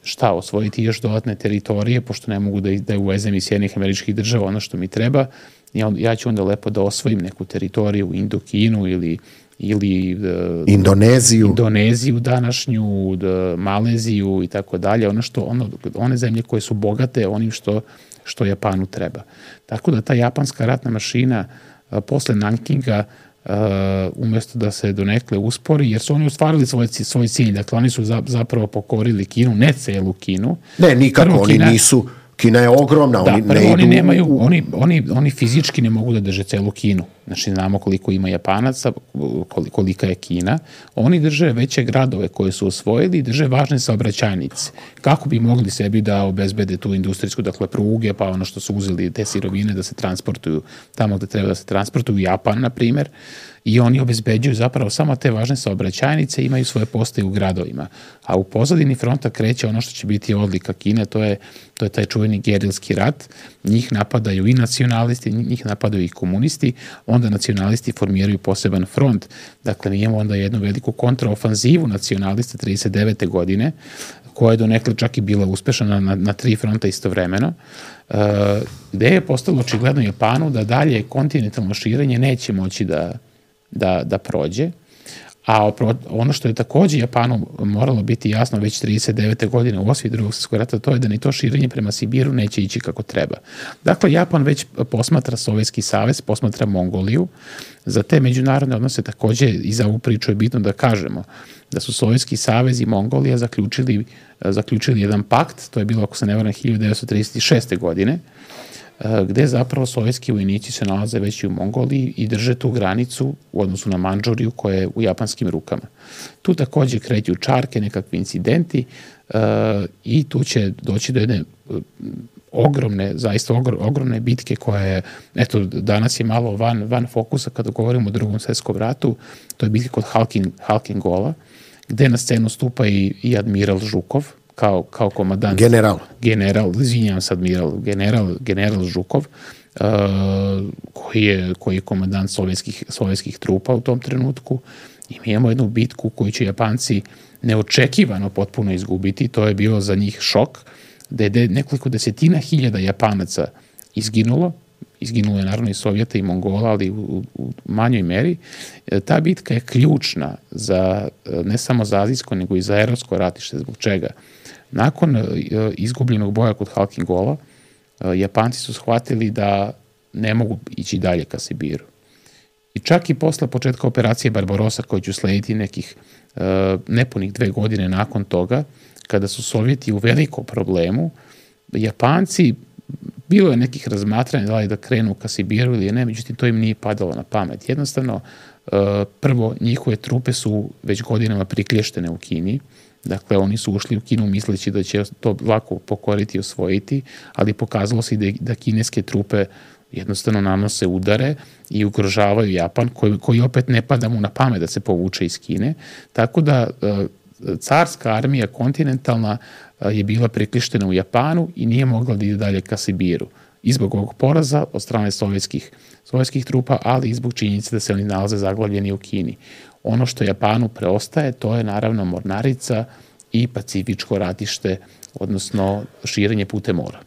šta, osvojiti još dodatne teritorije, pošto ne mogu da, da uvezem iz Sjedinjenih Američkih Država ono što mi treba, ja, ja ću onda lepo da osvojim neku teritoriju u Indokinu ili ili uh, Indoneziju, Indoneziju današnju, da, Maleziju i tako dalje, ono što ono, one zemlje koje su bogate onim što što Japanu treba. Tako da ta japanska ratna mašina a, posle Nankinga uh, umjesto da se donekle uspori, jer su oni ostvarili svoj, svoj cilj, dakle oni su za, zapravo pokorili Kinu, ne celu Kinu. Ne, nikako, prvo, oni Kina, nisu, Kina je ogromna, da, oni prvo, ne idu... Oni, nemaju, oni, oni, oni fizički ne mogu da drže celu Kinu. Znači, znamo koliko ima Japanaca, kolika je Kina. Oni drže veće gradove koje su osvojili i drže važne saobraćajnice. Kako bi mogli sebi da obezbede tu industrijsku, dakle, pruge, pa ono što su uzeli te sirovine da se transportuju tamo gde treba da se transportuju, Japan, na primer, i oni obezbeđuju zapravo samo te važne saobraćajnice, imaju svoje postaje u gradovima. A u pozadini fronta kreće ono što će biti odlika Kine, to je, to je taj čuveni gerilski rat. Njih napadaju i nacionalisti, njih napadaju i komunisti, onda nacionalisti formiraju poseban front. Dakle, mi imamo onda jednu veliku kontraofanzivu nacionalista trideset devete godine, koja je donekle čak i bila uspešna na, na tri fronta istovremeno, uh, gde je postalo očigledno Japanu da dalje kontinentalno širenje neće moći da Da, da prođe, a ono što je takođe Japanu moralo biti jasno već trideset devete godine u osvi Drugog svjetskog rata, to je da ni to širenje prema Sibiru neće ići kako treba. Dakle, Japan već posmatra Sovjetski savez, posmatra Mongoliju. Za te međunarodne odnose takođe i za ovu priču je bitno da kažemo da su Sovjetski savez i Mongolija zaključili, zaključili jedan pakt, to je bilo, ako se ne varam, hiljadu devetsto trideset šeste godine, gde zapravo sovjetski vojnici se nalaze već i u Mongoliji i drže tu granicu u odnosu na Mandžuriju koja je u japanskim rukama. Tu takođe kreću čarke, nekakvi incidenti i tu će doći do jedne ogromne, zaista ogromne bitke koja je, eto, danas je malo van, van fokusa kada govorimo o Drugom svjetskom ratu, to je bitka kod Halkin, Halkingola, gde na scenu stupa i, i admiral Žukov, kao, kao komandant. General. General, izvinjam se, admiral, general, general Žukov, uh, koji, je, koji je komandant sovjetskih, sovjetskih trupa u tom trenutku. I mi imamo jednu bitku koju će Japanci neočekivano potpuno izgubiti. To je bio za njih šok, da je nekoliko desetina hiljada Japanaca izginulo. Izginulo je naravno i Sovjeta i Mongola, ali u, u manjoj meri. Ta bitka je ključna za, ne samo za azijsko, nego i za evropsko ratište. Zbog čega? Nakon izgubljenog boja kod Halkingola, Japanci su shvatili da ne mogu ići dalje ka Sibiru. I čak i posle početka operacije Barbarossa, koja će uslediti nekih nepunih dve godine nakon toga, kada su Sovjeti u velikom problemu, Japanci, bilo je nekih razmatranja da li da krenu ka Sibiru ili ne, međutim to im nije padalo na pamet. Jednostavno, prvo, njihove trupe su već godinama priklještene u Kini, dakle oni su ušli u Kinu misleći da će to lako pokoriti i osvojiti, ali pokazalo se da, da kineske trupe jednostavno nanose udare i ugrožavaju Japan, koji, koji opet ne pada mu na pamet da se povuče iz Kine. Tako da carska armija kontinentalna je bila priklištena u Japanu i nije mogla da ide dalje ka Sibiru. I zbog ovog poraza od strane sovjetskih, sovjetskih trupa, ali i zbog činjenice da se oni nalaze zaglavljeni u Kini. Ono što Japanu preostaje, to je naravno mornarica i pacifičko ratište, odnosno širenje putem mora.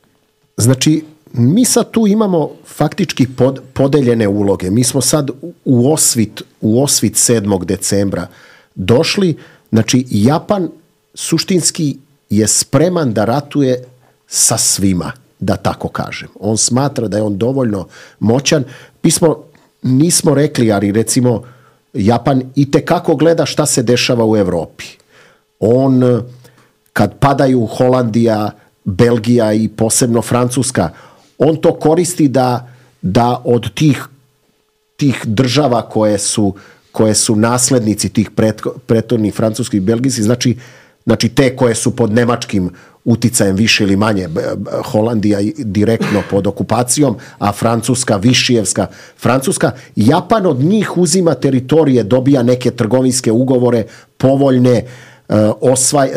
Znači, mi sad tu imamo faktički pod, podeljene uloge. Mi smo sad u osvit, u osvit sedmog decembra došli. Znači, Japan suštinski je spreman da ratuje sa svima, da tako kažem. On smatra da je on dovoljno moćan. Mi smo, nismo rekli, ali recimo, Japan itekako gleda šta se dešava u Evropi. On, kad padaju Holandija, Belgija i posebno Francuska, on to koristi da, da od tih, tih država koje su, koje su naslednici tih prethodnih francuskih i belgijskih, znači, znači te koje su pod nemačkim uticajem više ili manje, Holandija direktno pod okupacijom, a Francuska, Višijevska Francuska, Japan od njih uzima teritorije, dobija neke trgovinske ugovore, povoljne, osvaj,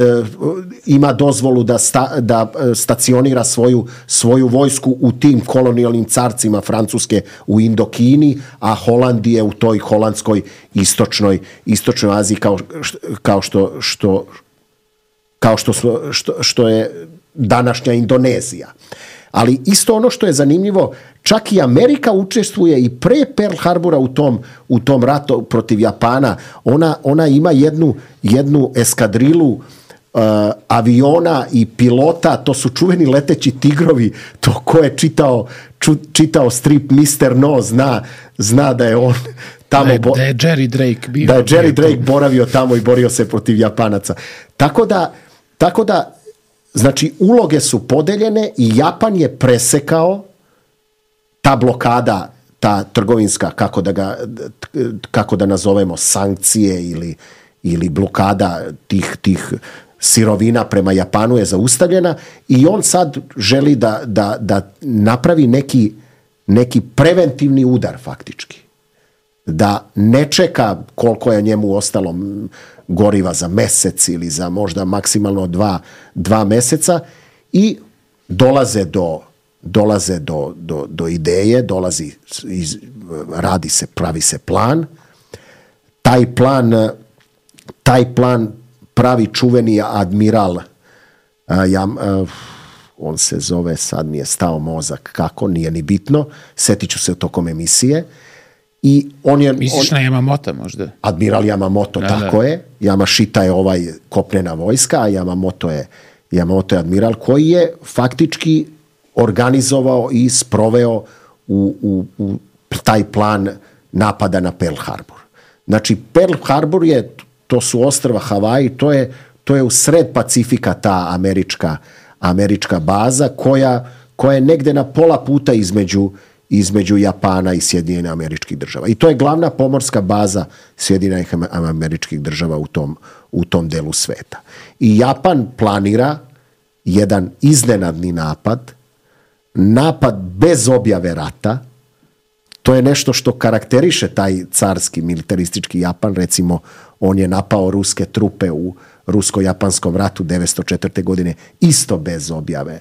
ima dozvolu da, sta, da stacionira svoju, svoju vojsku u tim kolonijalnim carcima Francuske u Indokini, a Holandije u toj holandskoj istočnoj, istočnoj Aziji kao, kao što, što kao što, što, što je današnja Indonezija. Ali isto ono što je zanimljivo, čak i Amerika učestvuje i pre Pearl Harbora u tom, u tom ratu protiv Japana. Ona, ona ima jednu, jednu eskadrilu uh, aviona i pilota, to su čuveni leteći tigrovi, to ko je čitao, ču, čitao strip mister No zna, zna da je on tamo... Da je, da je Jerry Drake bio. Da je Jerry Drake boravio tamo i borio se protiv Japanaca. Tako da, tako da znači, uloge su podeljene i Japan je presekao ta blokada, ta trgovinska, kako da, ga, kako da nazovemo, sankcije ili, ili blokada tih, tih sirovina prema Japanu je zaustavljena i on sad želi da, da, da napravi neki, neki preventivni udar faktički. Da ne čeka koliko je njemu ostalo goriva za mesec ili za možda maksimalno dva, dva meseca i dolaze do, dolaze do, do, do ideje, dolazi, iz, radi se, pravi se plan. Taj plan, taj plan pravi čuveni admiral, a, ja, a, on se zove, sad mi je stao mozak, kako, nije ni bitno, setit ću se tokom emisije. I on je, misliš on, na Yamamoto možda? Admiral Yamamoto, da, tako da. je. Yamashita je ovaj kopnena vojska, a Yamamoto je, Yamamoto je admiral koji je faktički organizovao i sproveo u, u, u taj plan napada na Pearl Harbor. Znači, Pearl Harbor je, to su ostrva Havaji, to je, to je u sred Pacifika ta američka, američka baza koja, koja je negde na pola puta između, između Japana i Sjedinjenih Američkih Država. I to je glavna pomorska baza Sjedinjenih Američkih Država u tom, u tom delu sveta. I Japan planira jedan iznenadni napad, napad bez objave rata. To je nešto što karakteriše taj carski militaristički Japan. Recimo, on je napao ruske trupe u rusko-japanskom ratu devetsto četvrte. godine isto bez objave,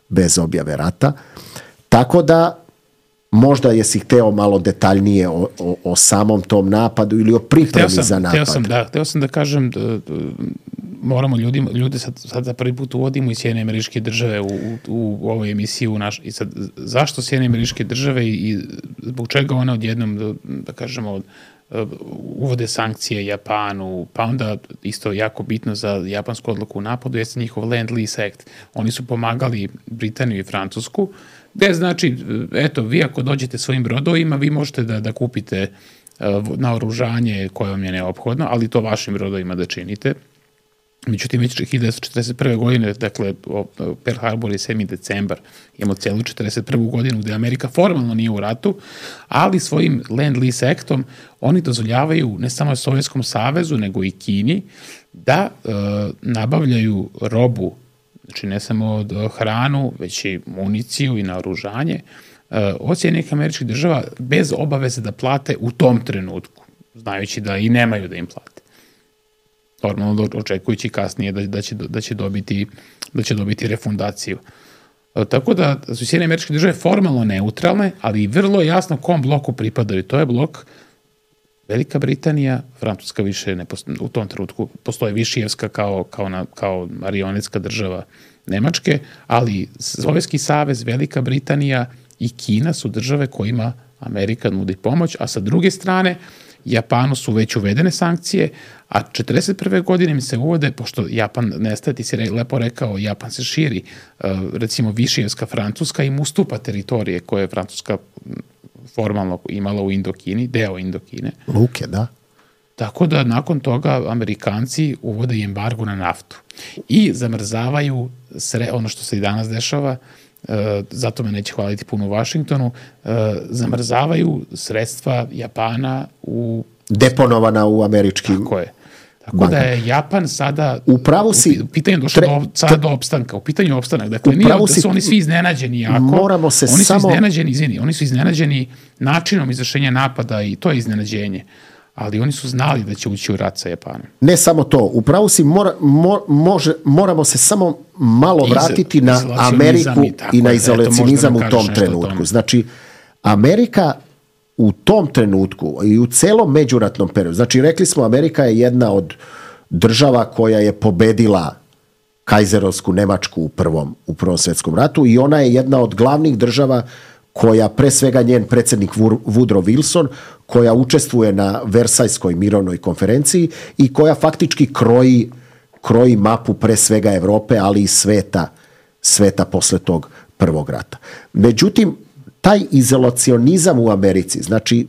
bez objave rata. Tako da možda jesi hteo malo detaljnije o, o, o samom tom napadu ili o pripremi sam, za napad. Hteo sam, da, hteo sam da kažem da, da moramo ljudima, ljude sad, sad za prvi put uvodimo i Sjedinjene Američke Države u, u, u ovoj emisiji u naš, i sad zašto Sjedinjene Američke Države i zbog čega one odjednom da, da kažemo uvode sankcije Japanu, pa onda isto jako bitno za japansku odluku u napadu jeste njihov Land-Lease Act. Oni su pomagali Britaniju i Francusku, gde znači, eto, vi ako dođete svojim brodovima, vi možete da, da kupite naoružanje koje vam je neophodno, ali to vašim brodovima da činite. Međutim, već hiljadu devetsto četrdeset prve. godine, dakle, Pearl Harbor je sedmi decembar, imamo celu četrdeset prvu. godinu gde Amerika formalno nije u ratu, ali svojim Land-Lease Actom oni dozvoljavaju ne samo Sovjetskom savezu, nego i Kini da e, nabavljaju robu, znači ne samo hranu, već i municiju i naoružanje, e, od Sjedinjenih Američkih Država bez obaveze da plate u tom trenutku, znajući da i nemaju da im plate. Normalno očekujući kasnije da, da, će, da, će dobiti, da će dobiti refundaciju. E, tako da su Sjedinjene Američke Države formalno neutralne, ali i vrlo jasno kom bloku pripadaju. To je blok Velika Britanija, Francuska više ne postoji, u tom trenutku postoje Višijevska kao, kao, na, kao marionetska država Nemačke, ali Sovjetski savez, Velika Britanija i Kina su države kojima Amerika nudi pomoć, a sa druge strane Japanu su već uvedene sankcije, a četrdeset prve. godine mi se uvode, pošto Japan nestaje, ti si lepo rekao, Japan se širi, recimo Višijevska Francuska im ustupa teritorije koje je Francuska formalno imala u Indokini, deo Indokine. Luke, da. Tako da nakon toga Amerikanci uvode embargo na naftu i zamrzavaju sre, ono što se i danas dešava, e, zato me neće hvaliti puno u Vašingtonu, e, zamrzavaju sredstva Japana u... Deponovana u američkim... Tako je. Tako bankama. Da je Japan sada Upravo si, u pitanju došlo tre, do, sada do opstanka, u pitanju opstanak. Dakle, nije da su oni svi iznenađeni jako. Moramo se oni samo... su iznenađeni, izvini, oni su iznenađeni načinom izvršenja napada i to je iznenađenje. Ali oni su znali da će ući u rat sa Japanom. Ne samo to, upravo si mora, mo, može, moramo se samo malo vratiti Iz, na Ameriku i, i na izolacionizam u tom trenutku. Znači, Amerika u tom trenutku i u celom međuratnom periodu, znači rekli smo Amerika je jedna od država koja je pobedila kajzerovsku Nemačku u prvom, u prvom svjetskom ratu i ona je jedna od glavnih država koja, pre svega njen predsjednik Woodrow Wilson, koja učestvuje na Versajskoj mirovnoj konferenciji i koja faktički kroji, kroji mapu pre svega Evrope, ali i sveta, sveta posle tog prvog rata. Međutim, taj izolacionizam u Americi, znači,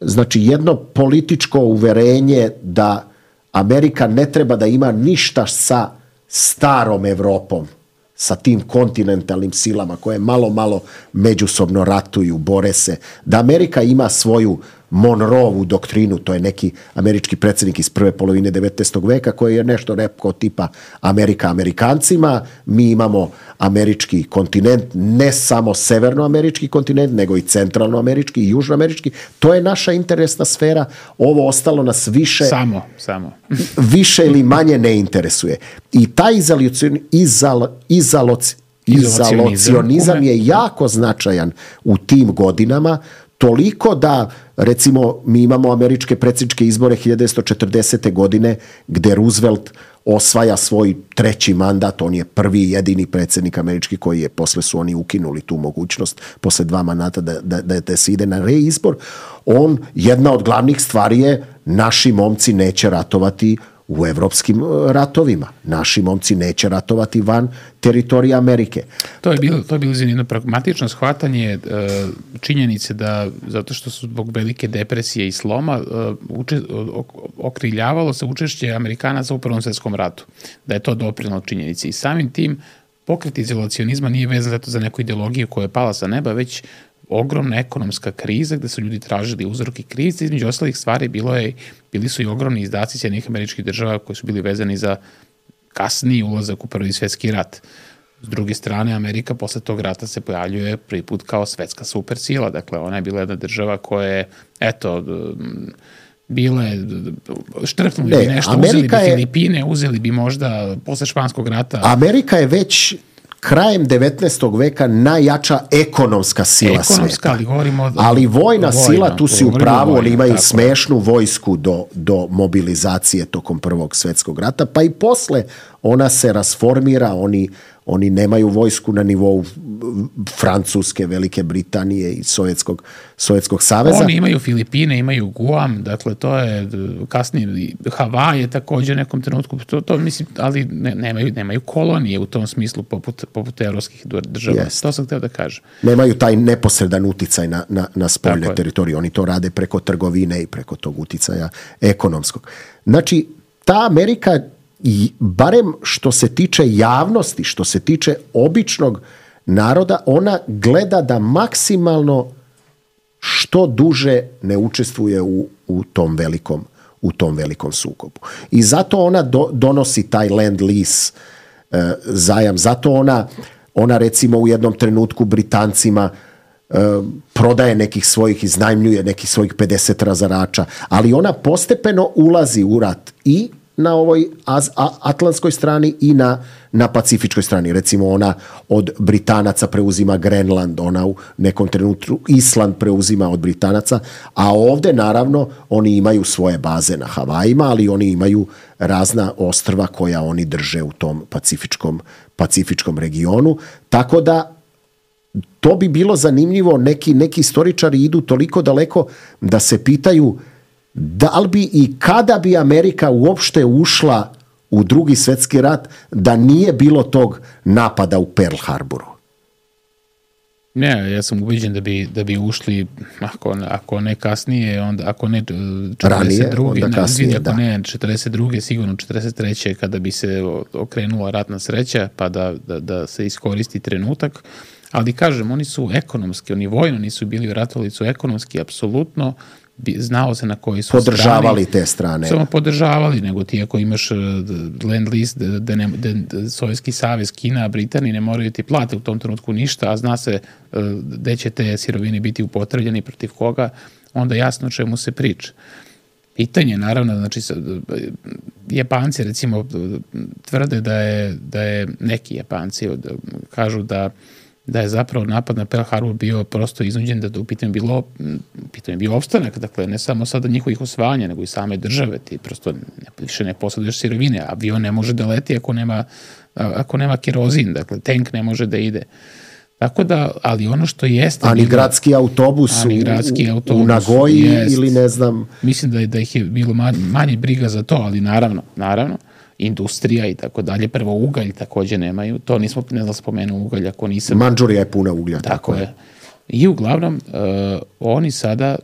znači jedno političko uverenje da Amerika ne treba da ima ništa sa starom Evropom, sa tim kontinentalnim silama koje malo, malo međusobno ratuju, bore se, da Amerika ima svoju Monroevu doktrinu, to je neki američki predsjednik iz prve polovine devetnaestog veka koji je nešto rekao tipa Amerika Amerikancima, mi imamo američki kontinent, ne samo severnoamerički kontinent, nego i centralnoamerički i južnoamerički, to je naša interesna sfera, ovo ostalo nas više samo, samo. više ili manje ne interesuje. I taj izolacion, izal, izaloc, izolacionizam je jako značajan u tim godinama, toliko da, recimo, mi imamo američke predsjedničke izbore hiljadu devetsto četrdesete. godine gde Roosevelt osvaja svoj treći mandat, on je prvi i jedini predsjednik američki koji je, posle su oni ukinuli tu mogućnost, posle dva mandata da, da, da, da se ide na reizbor. On, jedna od glavnih stvari je naši momci neće ratovati u evropskim ratovima. Naši momci neće ratovati van teritorija Amerike. To je bilo, to je bilo jedno pragmatično shvatanje činjenice da, zato što su zbog velike depresije i sloma, uče, okriljavalo se učešće Amerikanaca u Prvom svjetskom ratu. Da je to doprinelo činjenici. I samim tim pokret izolacionizma nije vezan zato za neku ideologiju koja je pala sa neba, već ogromna ekonomska kriza gde su ljudi tražili uzroke krize. Između ostalih stvari bilo je, bili su i ogromni izdaci Sjedinjenih Američkih Država koji su bili vezani za kasniji ulazak u Prvi svjetski rat. S druge strane, Amerika posle tog rata se pojavljuje prvi put kao svetska supersila. Dakle, ona je bila jedna država koja je, eto, bile, štrpnuli bi nešto, Amerika uzeli bi je, Filipine, uzeli bi možda posle Španskog rata. Amerika je već krajem devetnaestog veka najjača ekonomska sila ekonomska, sveta. Ali, govorimo od, ali vojna vojno, sila, tu si u pravu, oni imaju tako smešnu vojsku do, do mobilizacije tokom Prvog svjetskog rata, pa i posle ona se rasformira, oni Oni nemaju vojsku na nivou Francuske, Velike Britanije i Sovjetskog, Sovjetskog saveza. Oni imaju Filipine, imaju Guam, dakle to je kasnije, Havaj je također u nekom trenutku, to, to mislim, ali ne, nemaju, nemaju kolonije u tom smislu poput, poput evropskih država. Jest. To sam htio da kažem. Nemaju taj neposredan uticaj na, na, na spoljne teritorije. Oni to rade preko trgovine i preko tog uticaja ekonomskog. Znači, ta Amerika, i barem što se tiče javnosti, što se tiče običnog naroda, ona gleda da maksimalno što duže ne učestvuje u, u tom velikom u tom velikom sukobu. I zato ona do, donosi taj land lease e, zajam, zato ona ona recimo u jednom trenutku Britancima e, prodaje nekih svojih, iznajmljuje nekih svojih pedeset razarača, ali ona postepeno ulazi u rat i na ovoj atlantskoj strani i na, na pacifičkoj strani. Recimo ona od Britanaca preuzima Grenland, ona u nekom trenutku Island preuzima od Britanaca, a ovde naravno oni imaju svoje baze na Havajima, ali oni imaju razna ostrva koja oni drže u tom pacifičkom, pacifičkom regionu. Tako da to bi bilo zanimljivo, neki, neki istoričari idu toliko daleko da se pitaju da li bi i kada bi Amerika uopšte ušla u Drugi svjetski rat da nije bilo tog napada u Pearl Harboru? Ne, ja sam ubeđen da bi, da bi ušli, ako, ako ne kasnije, onda, ako ne četrdeset druge, Ranije, kasnije, ako ne četrdeset druge, sigurno četrdeset treće kada bi se okrenula ratna sreća, pa da, da, da se iskoristi trenutak. Ali kažem, oni su ekonomski, oni vojno nisu bili u ratu, ali su ekonomski apsolutno znao se na koji su podržavali strani, te strane. Samo podržavali, nego ti ako imaš land lease, da, ne, da Sovjetski savez, Kina, Britanija ne moraju ti plate u tom trenutku ništa, a zna se gde će te sirovine biti upotrebljeni, protiv koga, onda jasno o čemu se priča. Pitanje, naravno, znači, Japanci recimo tvrde da je, da je neki Japanci kažu da da je zapravo napad na Pearl Harbor bio prosto iznuđen, da u pitanju bilo, pitanju bio opstanak, dakle ne samo sada njihovih osvajanja, nego i same države, ti prosto ne, više ne posjeduješ sirovine, avion ne može da leti ako nema, ako nema kerozin, dakle tank ne može da ide. Tako da, ali ono što jeste... Ani bilo, gradski autobus, ani gradski u, autobus u Nagoji jest, ili ne znam... Mislim da, da ih je bilo manje, manje briga za to, ali naravno, naravno, industrija i tako dalje. Prvo ugalj također nemaju. To nismo, ne znam, spomenuo ugalj ako nisam... Mandžurija je puna uglja. Tako, tako je. je. I uglavnom, uh, oni sada,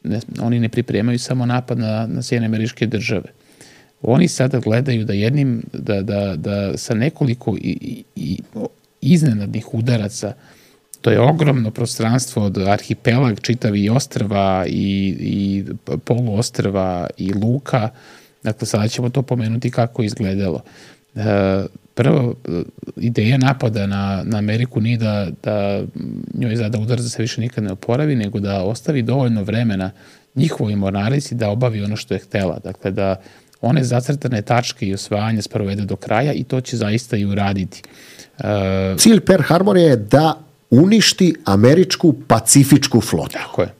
ne, oni ne pripremaju samo napad na, na Sjedinjene Američke Države. Oni sada gledaju da jednim, da, da, da sa nekoliko i, i, iznenadnih udaraca, to je ogromno prostranstvo od arhipelag, čitavi ostrva i, i poluostrva i luka. Dakle, sada ćemo to pomenuti kako je izgledalo. Prvo, ideja napada na, na Ameriku nije da, da njoj zada udar da se više nikad ne oporavi, nego da ostavi dovoljno vremena njihovoj mornarici da obavi ono što je htela. Dakle, da one zacrtane tačke i osvajanja sprovede do kraja i to će zaista i uraditi. Cilj Pearl Harbora je da uništi američku pacifičku flotu. Tako je.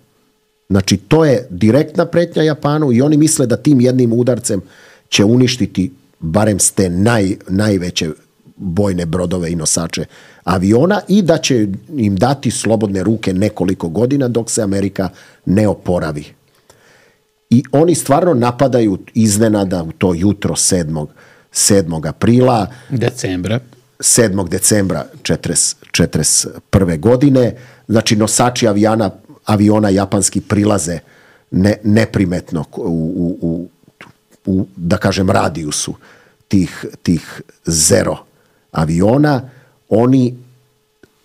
Znači, to je direktna pretnja Japanu i oni misle da tim jednim udarcem će uništiti barem s te naj, najveće bojne brodove i nosače aviona i da će im dati slobodne ruke nekoliko godina dok se Amerika ne oporavi. I oni stvarno napadaju iznenada u to jutro sedmog aprila. Decembra. sedmog decembra četrdeset prve godine. Znači, nosači avijana aviona japanski prilaze ne, neprimetno u, u, u, u, da kažem, radijusu tih, tih zero aviona. oni,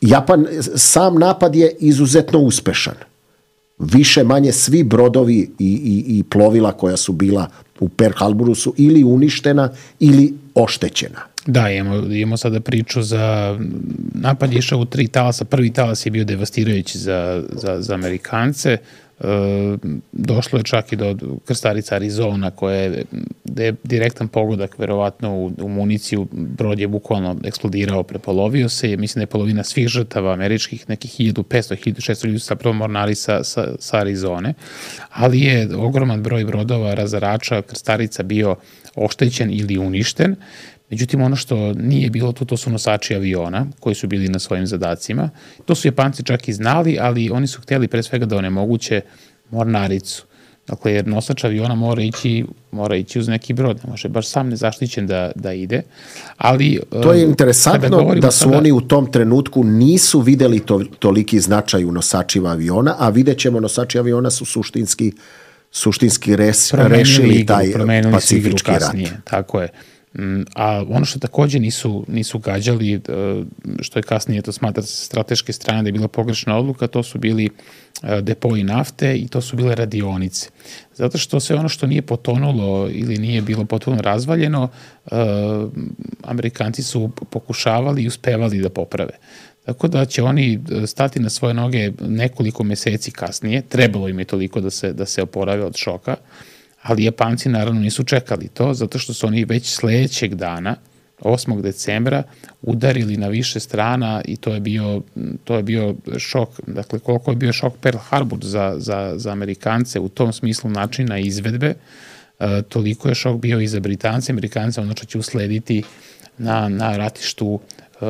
Japan, sam napad je izuzetno uspešan. Više manje svi brodovi i, i, i plovila koja su bila u Pearl Harboru su ili uništena ili oštećena. Da, imamo, imamo sada priču za napad je išao u tri talasa. Prvi talas je bio devastirajući za, za, za Amerikance. E, došlo je čak i do krstarica Arizona koja je, je direktan pogodak verovatno u, u municiju. Brod je bukvalno eksplodirao, prepolovio se. Mislim da je polovina svih žrtava američkih, nekih hiljadu petsto do hiljadu šesto ljudi su zapravo mornari sa, sa, sa Arizone. Ali je ogroman broj brodova, razarača, krstarica bio oštećen ili uništen. Međutim, ono što nije bilo tu, to su nosači aviona koji su bili na svojim zadacima. To su Japanci čak i znali, ali oni su htjeli pre svega da onemoguće mornaricu. Dakle, jer nosač aviona mora ići, mora ići uz neki brod, ne može baš sam nezaštićen da, da ide. Ali, to je interesantno da su sada... oni u tom trenutku nisu videli to, toliki značaj u nosačima aviona, a vidjet ćemo nosači aviona su suštinski, suštinski res, rešili igru, taj pacifički rat. Tako je. A ono što također nisu, nisu gađali, što je kasnije to smatra se strateške strane da je bila pogrešna odluka, to su bili depoji nafte i to su bile radionice. Zato što sve ono što nije potonulo ili nije bilo potpuno razvaljeno, Amerikanci su pokušavali i uspevali da poprave. Tako da će oni stati na svoje noge nekoliko meseci kasnije, trebalo im je toliko da se, da se oporave od šoka, ali Japanci naravno nisu čekali to, zato što su oni već sledećeg dana, osmog decembra, udarili na više strana i to je bio, to je bio šok. Dakle, koliko je bio šok Pearl Harbor za, za, za Amerikance u tom smislu načina izvedbe, e, toliko je šok bio i za Britance. Amerikance ono što će uslediti na, na ratištu e,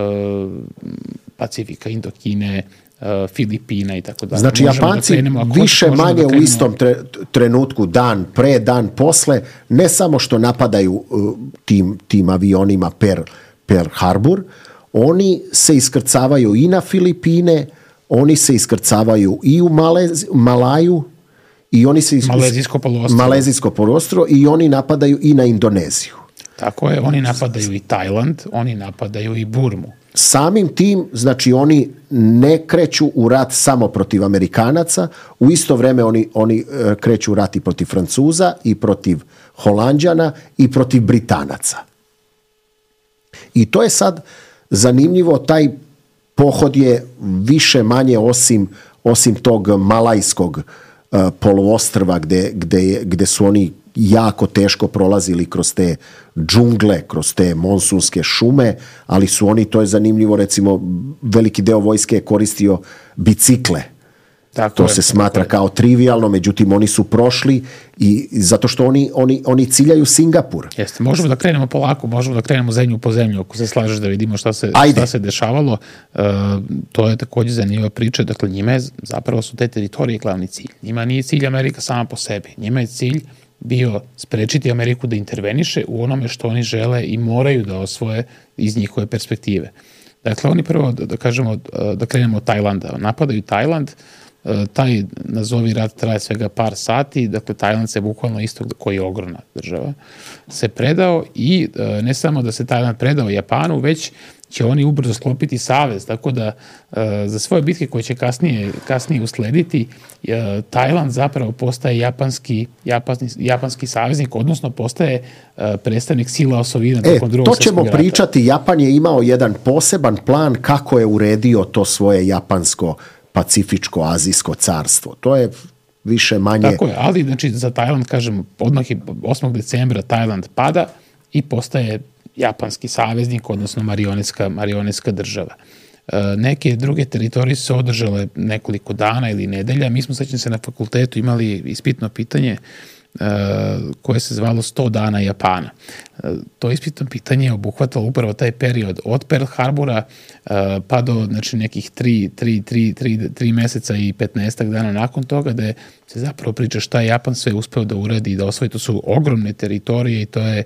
Pacifika, Indokine, Filipina i tako dalje. Znači, možemo Japanci da krenemo, više manje da u istom tre, trenutku, dan pre, dan posle, ne samo što napadaju uh, tim, tim avionima Pearl, Pearl Harbor, oni se iskrcavaju i na Filipine, oni se iskrcavaju i u Malez, Malaju, i oni se iskrcavaju Malezijsko poluostrvo. Malezijsko poluostrvo i oni napadaju i na Indoneziju. Tako je, oni napadaju i Tajland, oni napadaju i Burmu. Samim tim, znači oni ne kreću u rat samo protiv Amerikanaca, u isto vreme oni, oni kreću u rat i protiv Francuza i protiv Holanđana i protiv Britanaca. I to je sad zanimljivo, taj pohod je više manje osim, osim tog malajskog uh, poluostrva gde, gde, gde su oni jako teško prolazili kroz te džungle, kroz te monsunske šume, ali su oni, to je zanimljivo, recimo, veliki deo vojske je koristio bicikle. Tako to je, se smatra je. Kao trivialno, međutim, oni su prošli i zato što oni, oni, oni ciljaju Singapur. Jeste, možemo da krenemo polako, možemo da krenemo zemlju po zemlju, ako se slažeš da vidimo šta se, šta se dešavalo. E, to je također zanimljiva priča, dakle, njima je, zapravo su te teritorije glavni cilj. Njima nije cilj Amerika sama po sebi. Njima je cilj bio sprečiti Ameriku da interveniše u onome što oni žele i moraju da osvoje iz njihove perspektive. Dakle, oni prvo, da kažemo, da krenemo od Tajlanda. Napadaju Tajland, taj nazovi rat traje svega par sati, dakle Tajland se bukvalno isto, koji je ogromna država, se predao i ne samo da se Tajland predao Japanu, već će oni ubrzo sklopiti savez, tako da za svoje bitke koje će kasnije, kasnije uslediti, Tajland zapravo postaje japanski, japanski, japanski saveznik, odnosno postaje predstavnik sila osovina e, tokom drugog svjetskog rata. To ćemo pričati, Japan je imao jedan poseban plan kako je uredio to svoje japansko pacifičko, azijsko carstvo. To je više manje... Tako je, ali znači, za Tajland, kažem, odmah je osmog decembra Tajland pada i postaje japanski saveznik, odnosno marionetska, marionetska država. E, neke druge teritorije su se održale nekoliko dana ili nedelja. Mi smo sećam se na fakultetu imali ispitno pitanje e, koje se zvalo sto dana Japana. E, to ispitno pitanje je obuhvatalo upravo taj period od Pearl Harbora e, pa do znači, nekih tri, tri, tri, tri, tri meseca i petnaestak dana nakon toga, da se zapravo priča šta je Japan sve uspeo da uradi i da osvoji. To su ogromne teritorije i to je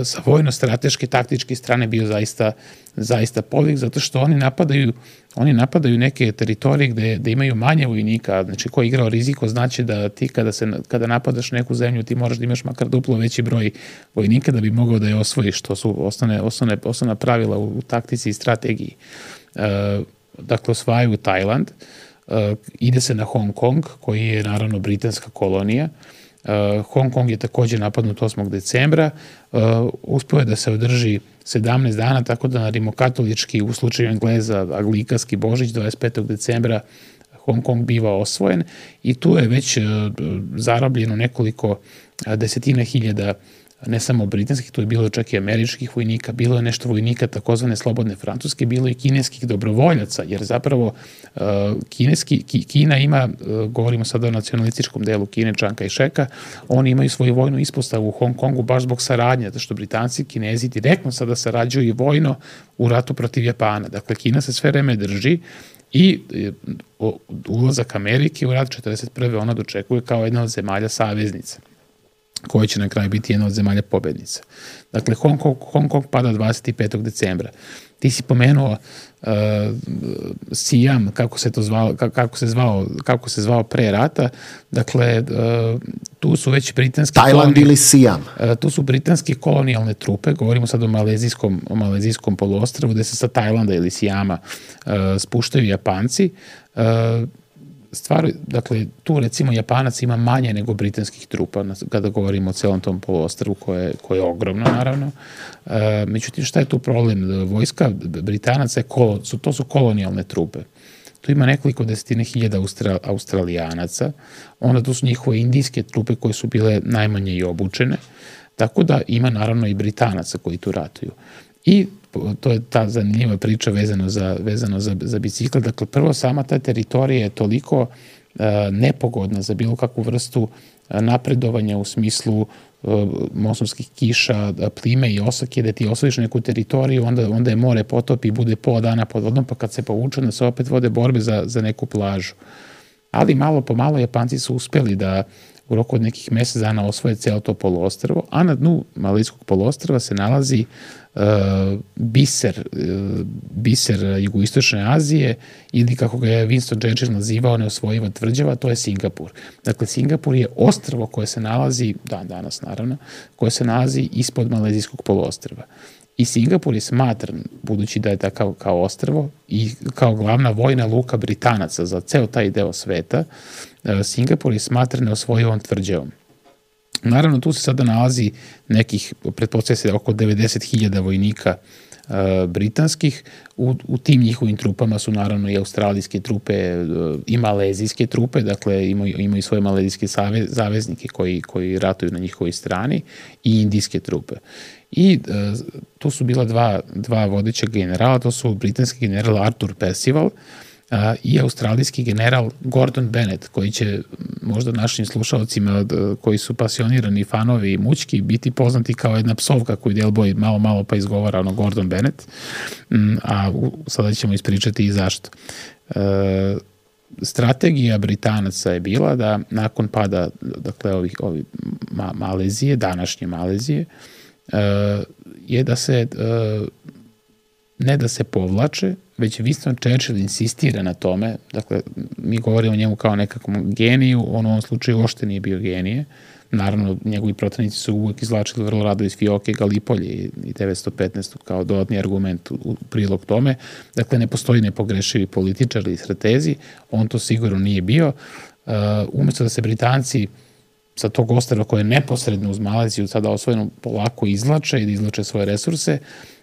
sa vojno-strateške, taktičke strane bio zaista, zaista podvig, zato što oni napadaju, oni napadaju neke teritorije gde, gde imaju manje vojnika, znači ko je igrao riziko znači da ti kada, se, kada napadaš neku zemlju ti moraš da imaš makar duplo veći broj vojnika da bi mogao da je osvojiš, to su osnovne, osnovne, osnovna pravila u, u taktici i strategiji. E, dakle, osvajaju Tajland, e, ide se na Hong Kong, koji je naravno britanska kolonija. Uh, Hong Kong je takođe napadnut osmog decembra, uh, uspeo je da se održi sedamnaest dana, tako da na rimokatolički, u slučaju Engleza, anglikanski Božić, dvadeset petog decembra Hong Kong biva osvojen i tu je već uh, zarobljeno nekoliko uh, desetina hiljada ne samo britanskih, tu je bilo čak i američkih vojnika, bilo je nešto vojnika takozvane slobodne Francuske, bilo je i kineskih dobrovoljaca, jer zapravo uh, kineski, ki, Kina ima, uh, govorimo sada o nacionalističkom delu Kine, Čanka i Šeka, oni imaju svoju vojnu ispostavu u Hong Kongu baš zbog saradnje, zato što Britanci i Kinezi direktno sada sarađuju i vojno u ratu protiv Japana. Dakle, Kina se sve vreme drži i uh, ulazak Amerike u rat četrdeset prve ona dočekuje kao jedna od zemalja saveznica, koja će na kraju biti jedna od zemalja pobednica. Dakle, Hong Kong, Hong Kong pada dvadeset petog decembra. Ti si pomenuo uh, Siam, kako se to zvao, kako se zvao, kako se zvao pre rata. Dakle, uh, tu su već britanski Tajland ili Siam. Uh, tu su britanske kolonijalne trupe, govorimo sad o malezijskom, o malezijskom poluostrvu, gde se sa Tajlanda ili Siama uh, spuštaju Japanci. Uh, Stvar, dakle, tu recimo Japanac ima manje nego britanskih trupa kada govorimo o celom tom poluostrvu koje, koje je ogromno, naravno. E, međutim, šta je tu problem? Vojska Britanaca je kolo, su, to su kolonijalne trupe. Tu ima nekoliko desetine hiljada Austra, Australijanaca, onda tu su njihove indijske trupe koje su bile najmanje i obučene, tako da ima naravno i Britanaca koji tu ratuju. I to je ta zanimljiva priča vezano za, vezano za, za bicikl. Dakle, prvo, sama ta teritorija je toliko uh, nepogodna za bilo kakvu vrstu uh, napredovanja u smislu uh, monsonskih kiša, plime i osake, da ti osvojiš neku teritoriju, onda, onda je more potopi i bude pola dana pod vodom, pa kad se povuče, da se opet vode borbe za, za neku plažu. Ali malo po malo Japanci su uspeli da u roku od nekih mesec dana osvoje celo to poluostrvo, a na dnu Malezijskog poluostrva se nalazi uh, biser, uh, biser jugoistočne Azije, ili kako ga je Winston Churchill nazivao neosvojiva tvrđava, to je Singapur. Dakle, Singapur je ostrvo koje se nalazi, dan danas naravno, koje se nalazi ispod Malezijskog poluostrva. I Singapur je smatran, budući da je takav kao ostrvo i kao glavna vojna luka Britanaca za ceo taj deo sveta, Singapur je smatran neosvojivom tvrđavom. Naravno, tu se sada nalazi nekih, pretpostavlja se oko devedeset hiljada vojnika uh, britanskih. U, u tim njihovim trupama su naravno i australijske trupe uh, i malezijske trupe, dakle imaju, imaju svoje malezijske save, zaveznike koji, koji ratuju na njihovoj strani, i indijske trupe. I uh, tu su bila dva, dva vodeća generala, to su britanski general Arthur Percival uh, i australijski general Gordon Bennett, koji će možda našim slušalcima uh, koji su pasionirani fanovi i mućki biti poznati kao jedna psovka koju Del Boy malo malo pa izgovara, ono Gordon Bennett, um, a u, sada ćemo ispričati i zašto. Uh, strategija Britanaca je bila da nakon pada, dakle, ovih, ovih ma, Malezije, današnje Malezije, Uh, je da se uh, ne da se povlače, već Winston Churchill insistira na tome, dakle, mi govorimo o njemu kao nekakvom geniju, on u ovom slučaju uopšte nije bio genije, naravno, njegovi protivnici su uvek izvlačili vrlo rado iz fioke Galipolje i devetsto petnaest kao dodatni argument u, u prilog tome, dakle, ne postoji nepogrešivi političar ili stratezi, on to sigurno nije bio. Uh, umesto da se Britanci sa tog ostrva koje je neposredno uz Maleziju sada osvojeno polako izvlače i da izvlače svoje resurse,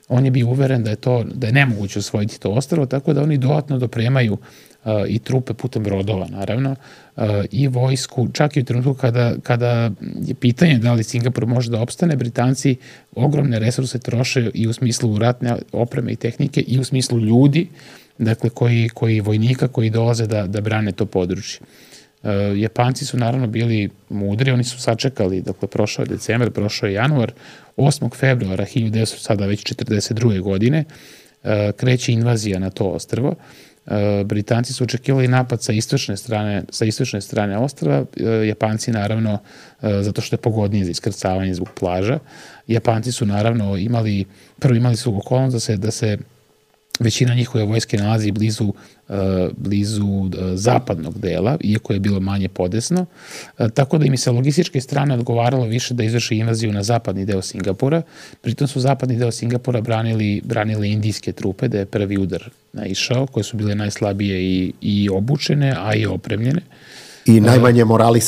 on je bio uveren da je to, da je nemoguće osvojiti to ostrvo, tako da oni dodatno dopremaju uh, i trupe putem brodova, naravno, uh, i vojsku, čak i u trenutku kada, kada je pitanje da li Singapur može da opstane, Britanci ogromne resurse troše i u smislu ratne opreme i tehnike i u smislu ljudi, dakle, koji, koji vojnika koji dolaze da, da brane to područje. Uh, Japanci su naravno bili mudri, oni su sačekali, dakle, prošao je decembar, prošao je januar, osmog februara hiljadu devetsto, sada već četrdeset druge godine, uh, kreće invazija na to ostrvo. Britanci su očekivali napad sa istočne strane, sa istočne strane ostrva, Japanci naravno, zato što je pogodnije za iskrcavanje zbog plaža, Japanci su naravno imali, prvo imali su okolnost da se, da se većina njihove vojske nalazi blizu, blizu zapadnog dela, iako je bilo manje podesno, tako da im se logističke strane odgovaralo više da izvrši invaziju na zapadni deo Singapura. Pritom su zapadni deo Singapura branili, branili indijske trupe, da je prvi udar naišao, koje su bile najslabije i, i obučene, a i opremljene. I najmanje morali...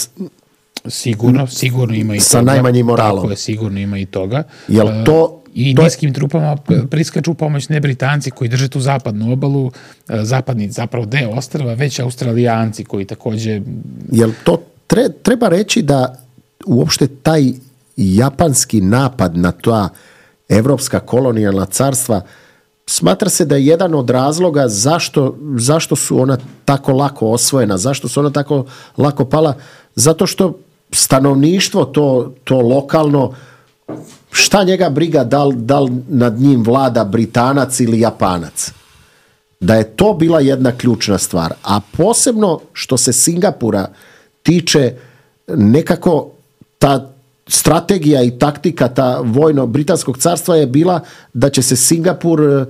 Sigurno, sigurno ima i sa toga. Sa najmanjim moralom. Tako je, sigurno ima i toga. Jel to... I indijskim trupama priskaču pomoć ne Britanci koji drže tu zapadnu obalu, zapadni zapravo deo ostrva, već Australijanci koji takođe... Jel to tre, treba reći da uopšte taj japanski napad na ta evropska kolonijalna carstva smatra se da je jedan od razloga zašto, zašto su ona tako lako osvojena, zašto su ona tako lako pala, zato što stanovništvo to, to lokalno, šta njega briga da li, da li nad njim vlada Britanac ili Japanac. Da je to bila jedna ključna stvar. A posebno što se Singapura tiče, nekako ta strategija i taktika ta vojno-britanskog carstva je bila da će se Singapur uh,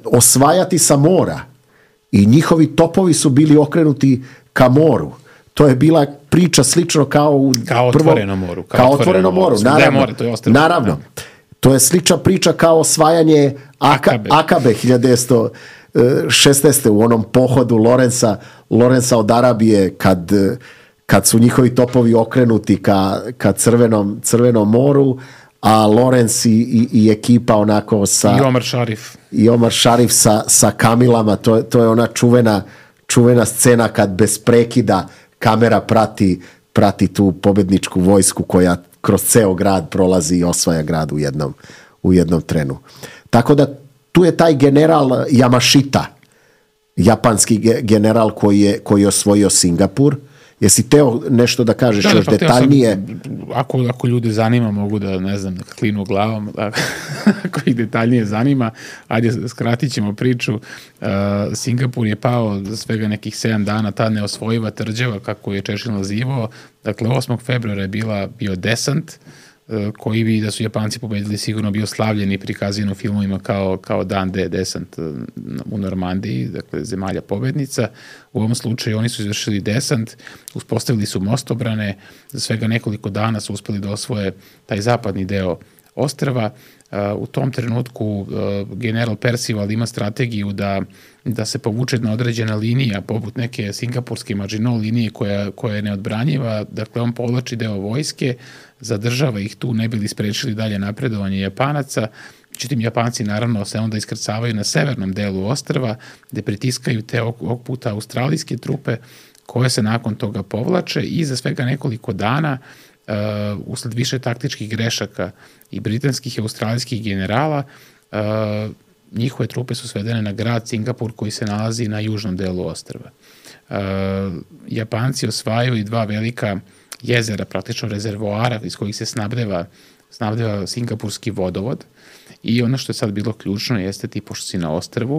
osvajati sa mora. I njihovi topovi su bili okrenuti ka moru. To je bila priča slično kao u kao otvorenom moru. Kao, kao otvoreno moru, naravno. More, to je naravno. To je slična priča kao osvajanje Akabe, Akabe hiljadu devetsto šesnaeste. u onom pohodu Lorenza, Lorenza od Arabije kad, kad su njihovi topovi okrenuti ka, ka crvenom, crvenom moru, a Lorenz i, i, i ekipa onako sa... I Omar Sharif. I Omar Sharif sa, sa kamilama. To, to je ona čuvena, čuvena scena kad bez prekida kamera prati, prati tu pobedničku vojsku koja kroz ceo grad prolazi i osvaja grad u jednom, u jednom trenu. Tako da tu je taj general Yamashita, japanski general koji je, koji je osvojio Singapur. Jesi teo nešto da kažeš da, još pa detaljnije? Sam, ako, ako ljude zanima, mogu da, ne znam, da klinu glavom, da, ako ih detaljnije zanima, ajde, skratit ćemo priču. Uh, Singapur je pao za svega nekih sedam dana, ta neosvojiva tvrđava, kako je Churchill nazivao. Dakle, osmog februara je bila, bio desant, uh, koji bi, da su Japanci pobedili, sigurno bio slavljen i prikazan u filmovima kao, kao dan D, desant uh, u Normandiji, dakle, zemalja pobednica. U ovom slučaju oni su izvršili desant, uspostavili su mostobrane, za svega nekoliko dana su uspeli da osvoje taj zapadni deo ostrva. U tom trenutku general Percival ima strategiju da, da se povuče na određena linija, poput neke singapurske Maginot linije koja, koja je neodbranjiva. Dakle, on povlači deo vojske, zadržava ih tu, ne bi li sprečili dalje napredovanje Japanaca. Međutim, Japanci naravno se onda iskrcavaju na severnom delu ostrva, gde pritiskaju te ovog puta australijske trupe, koje se nakon toga povlače i za svega nekoliko dana Uh, usled više taktičkih grešaka i britanskih i australijskih generala, uh, njihove trupe su svedene na grad Singapur koji se nalazi na južnom delu ostrva. Uh, Japanci osvajaju i dva velika jezera, praktično rezervoara iz kojih se snabdeva, snabdeva singapurski vodovod i ono što je sad bilo ključno jeste ti, pošto si na ostrvu,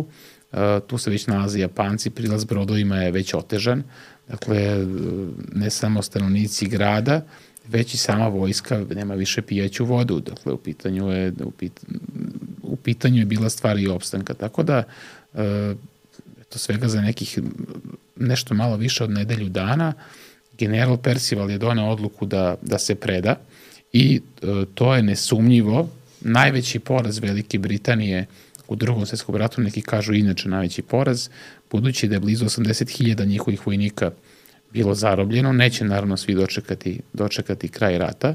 uh, tu se već nalaze Japanci, prilaz brodovima je već otežan, dakle ne samo stanovnici grada, već i sama vojska nema više pijaću vodu, dakle u pitanju je, u, pit, u pitanju je bila stvar i opstanka, tako da e, to svega za nekih nešto malo više od nedelju dana general Percival je doneo odluku da, da se preda i e, to je nesumnjivo najveći poraz Velike Britanije u Drugom svjetskom ratu, neki kažu inače najveći poraz, budući da je blizu osamdeset hiljada njihovih vojnika bilo zarobljeno, neće naravno svi dočekati, dočekati kraj rata. E,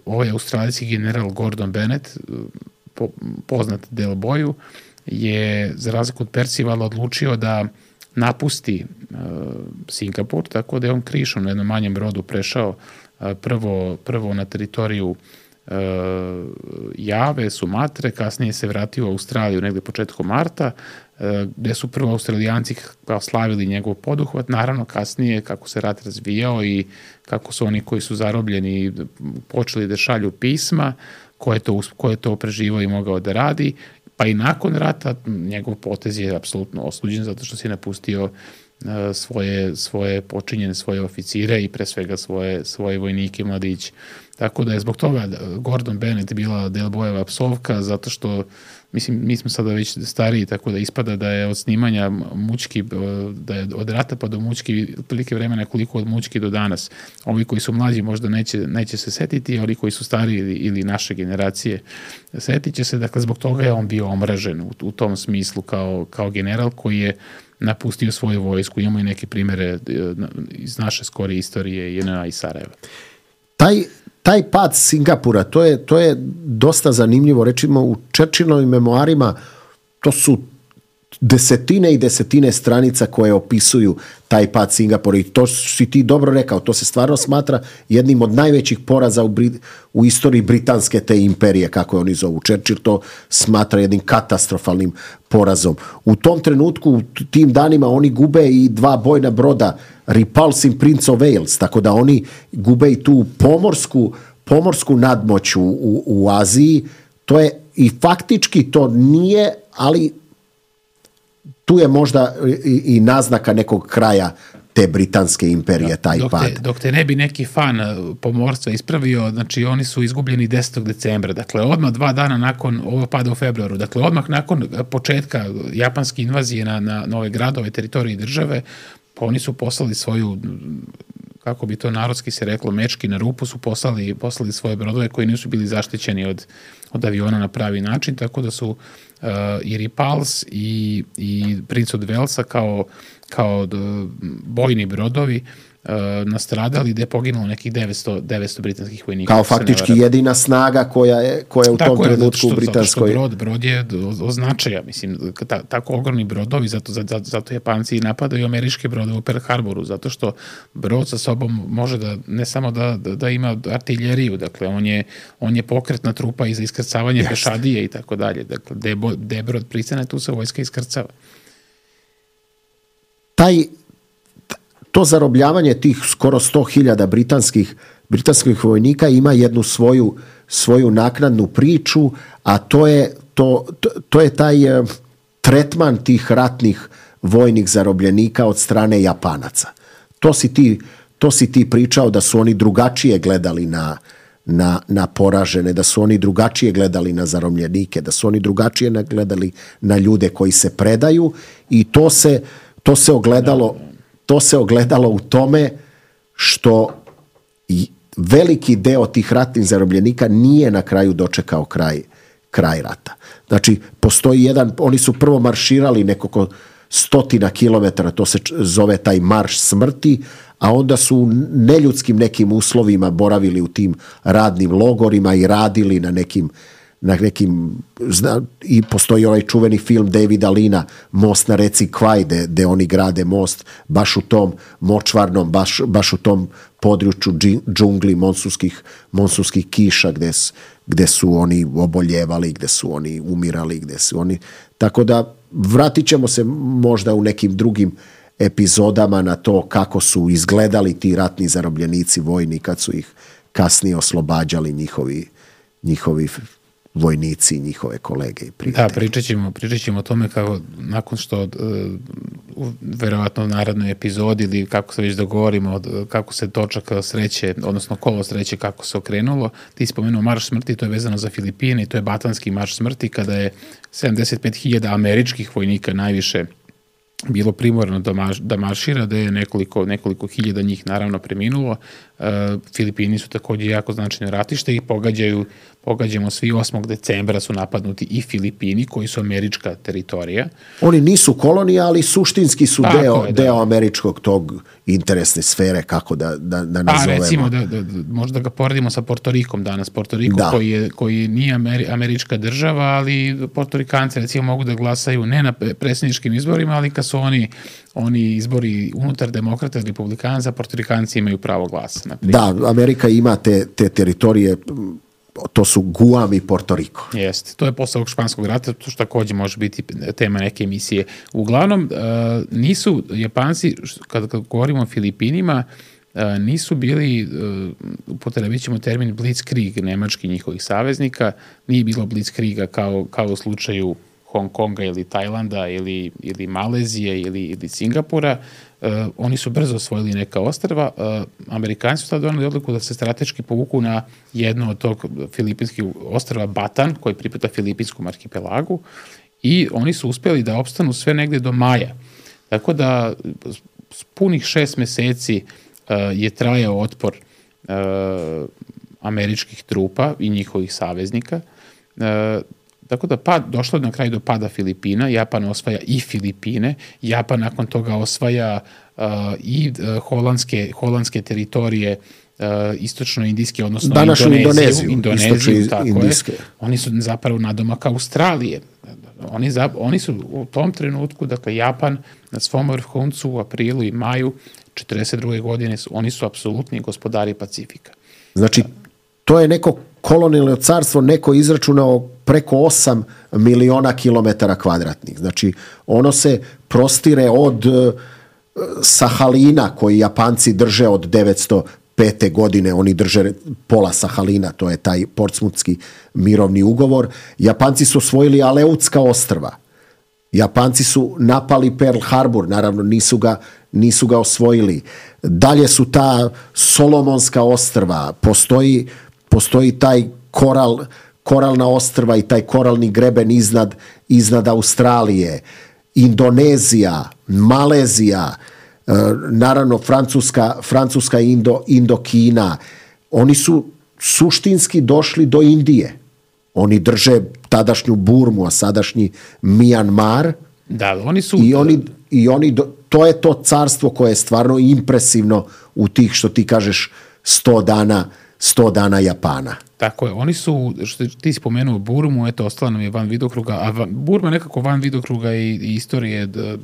ovaj australijski general Gordon Bennett, po, poznat del boju, je za razliku od Percivala odlučio da napusti e, Singapur, tako da je on krišom na jednom manjem brodu prešao e, prvo, prvo na teritoriju e, Jave, Sumatre, kasnije se vratio u Australiju negde početkom marta, gde su prvo Australijanci kao slavili njegov poduhvat, naravno kasnije kako se rat razvijao i kako su oni koji su zarobljeni počeli da šalju pisma, ko je to, ko je to preživao i mogao da radi, pa i nakon rata njegov potez je apsolutno osuđen zato što se napustio svoje, svoje počinjene, svoje oficire i pre svega svoje, svoje vojnike i mladiće. Tako da je zbog toga Gordon Bennett bila Del Boyeva psovka, zato što, mislim, mi smo sada već stariji, tako da ispada da je od snimanja Mućki, da je od rata pa do Mućki otprilike vremena koliko od Mućki do danas. Ovi koji su mlađi možda neće, neće se setiti, a oni koji su stariji ili, ili naše generacije setit će se. Dakle, zbog toga je on bio omražen u, u tom smislu kao, kao general koji je napustio svoju vojsku. Imamo i neke primere iz naše skorije istorije J N A i Sarajeva. Taj, taj pad Singapura, to je, to je dosta zanimljivo. Rečimo, u Churchillovim memoarima to su desetine i desetine stranica koje opisuju taj pad Singapura i to si ti dobro rekao, to se stvarno smatra jednim od najvećih poraza u, Brit, u istoriji britanske te imperije, kako je oni zovu. Churchill to smatra jednim katastrofalnim porazom. U tom trenutku, u tim danima, oni gube i dva bojna broda, Repulse i Prince of Wales, tako da oni gube i tu pomorsku, pomorsku nadmoć u, u, u Aziji. To je i faktički to nije, ali tu je možda i, i naznaka nekog kraja te britanske imperije, taj dok pad. Te, dok te ne bi neki fan pomorstva ispravio, znači oni su izgubljeni desetog decembra, dakle odmah dva dana nakon ovo pada u februaru, dakle odmah nakon početka japanske invazije na, na nove gradove, teritorije države, pa oni su poslali svoju, kako bi to narodski se reklo, mečki na rupu, su poslali, poslali svoje brodove koji nisu bili zaštićeni od, od aviona na pravi način, tako da su uh, i Repulse i, i Prince of Walesa kao, kao bojni brodovi uh, nastradali, gde je poginulo nekih devetsto, devetsto britanskih vojnika. Kao faktički jedina snaga koja je, koja je u tako tom je, trenutku u britanskoj... Zato brod, brod je od značaja, mislim, ta, tako ogromni brodovi, zato, zato, zato Japanci napadaju američke brodove u Pearl Harboru, zato što brod sa sobom može da, ne samo da, da, da ima artiljeriju, dakle, on je, on je pokretna trupa i za iskrcavanje pešadije i tako dalje. Dakle, gde, gde je brod pristane, tu se vojska iskrcava. Taj to zarobljavanje tih skoro sto hiljada britanskih, britanskih vojnika ima jednu svoju, svoju naknadnu priču, a to je, to, to, to je taj eh, tretman tih ratnih vojnih zarobljenika od strane Japanaca. To si ti, to si ti pričao da su oni drugačije gledali na, na, na poražene, da su oni drugačije gledali na zarobljenike, da su oni drugačije gledali na ljude koji se predaju i to se, to se ogledalo... To se ogledalo u tome što veliki deo tih ratnih zarobljenika nije na kraju dočekao kraj, kraj rata. Znači, postoji jedan, oni su prvo marširali nekoliko stotina kilometara, to se zove taj marš smrti, a onda su u neljudskim nekim uslovima boravili u tim radnim logorima i radili na nekim na nekim, zna, i postoji ovaj čuveni film Davida Lina, Most na reci Kwai, gde, gde oni grade most baš u tom močvarnom, baš, baš u tom području džungli, monsunskih, monsunskih kiša, gde, gde su oni oboljevali, gde su oni umirali, gde su oni... Tako da vratit ćemo se možda u nekim drugim epizodama na to kako su izgledali ti ratni zarobljenici vojni kad su ih kasnije oslobađali njihovi, njihovi vojnici i njihove kolege i prijatelji. Da, pričat ćemo, pričat ćemo o tome kako nakon što uh, verovatno u narednoj epizodi ili kako se već dogovorimo kako se točak sreće, odnosno kolo sreće kako se okrenulo. Ti spomenuo marš smrti, to je vezano za Filipine i to je Batanski marš smrti kada je sedamdeset pet hiljada američkih vojnika najviše bilo primorano da, marš, da maršira, da je nekoliko, nekoliko hiljada njih naravno preminulo. Uh, Filipini su također jako značajno ratište i pogađaju, pogađamo svi osmog decembra su napadnuti i Filipini koji su američka teritorija. Oni nisu kolonija, ali suštinski su Tako deo, je, da. deo američkog tog interesne sfere, kako da, da, da nazovemo. A recimo, da, da, da, možda ga poredimo sa Portorikom danas. Portoriko da. koji, je, koji nije Ameri, američka država, ali Portorikanci recimo mogu da glasaju ne na predsjedničkim izborima, ali kad su oni, oni izbori unutar demokrata i republikanaca, Portorikanci imaju pravo glasa. Da, Amerika ima te, te teritorije, to su Guam i Porto Riko. Jeste, to je posle ovog španskog rata, to što također može biti tema neke emisije. Uglavnom, nisu Japanci, kada govorimo o Filipinima, nisu bili, upotrebit ćemo termin Blitzkrieg, nemački njihovih saveznika, nije bilo Blitzkriega kao, kao u slučaju Hong Konga ili Tajlanda ili, ili Malezije ili, ili Singapura, uh, oni su brzo osvojili neka ostrva. Uh, Amerikanci su tada doneli odluku da se strateški povuku na jedno od tog filipinskih ostrva Batan, koji pripada Filipinskom arhipelagu, i oni su uspjeli da opstanu sve negde do maja. Tako da s punih šest meseci uh, je trajao otpor uh, američkih trupa i njihovih saveznika. Uh, tako da pad, došlo je na kraju do pada Filipina, Japan osvaja i Filipine, Japan nakon toga osvaja uh, i uh, holandske, holandske teritorije, uh, istočno-indijske, odnosno današnju Indoneziju, Indoneziju, Indoneziju tako indijske. je. Oni su zapravo nadomak Australije. Oni, za, oni su u tom trenutku, dakle Japan na svom vrhuncu u aprilu i maju četrdeset druge godine, su, oni su apsolutni gospodari Pacifika. Znači, to je neko kolonijalno carstvo, neko izračunao preko osam miliona kilometara kvadratnih. Znači, ono se prostire od uh, Sahalina, koji Japanci drže od devetsto pete godine, oni drže pola Sahalina, to je taj Portsmutski mirovni ugovor. Japanci su osvojili Aleutska ostrva. Japanci su napali Pearl Harbor, naravno nisu ga, nisu ga osvojili. Dalje su ta Solomonska ostrva, postoji, postoji taj koral, koralna ostrva i taj koralni greben iznad, iznad Australije, Indonezija, Malezija, naravno Francuska, Francuska Indo, Indokina. Oni su suštinski došli do Indije. Oni drže tadašnju Burmu, a sadašnji Mijanmar. Da, oni su... I oni, i oni do, to je to carstvo koje je stvarno impresivno u tih, što ti kažeš, sto dana, sto dana Japana. Tako je, oni su, što ti spomenuo Burmu, eto, ostala nam je van vidokruga, a van, Burma je nekako van vidokruga i, i istorije da,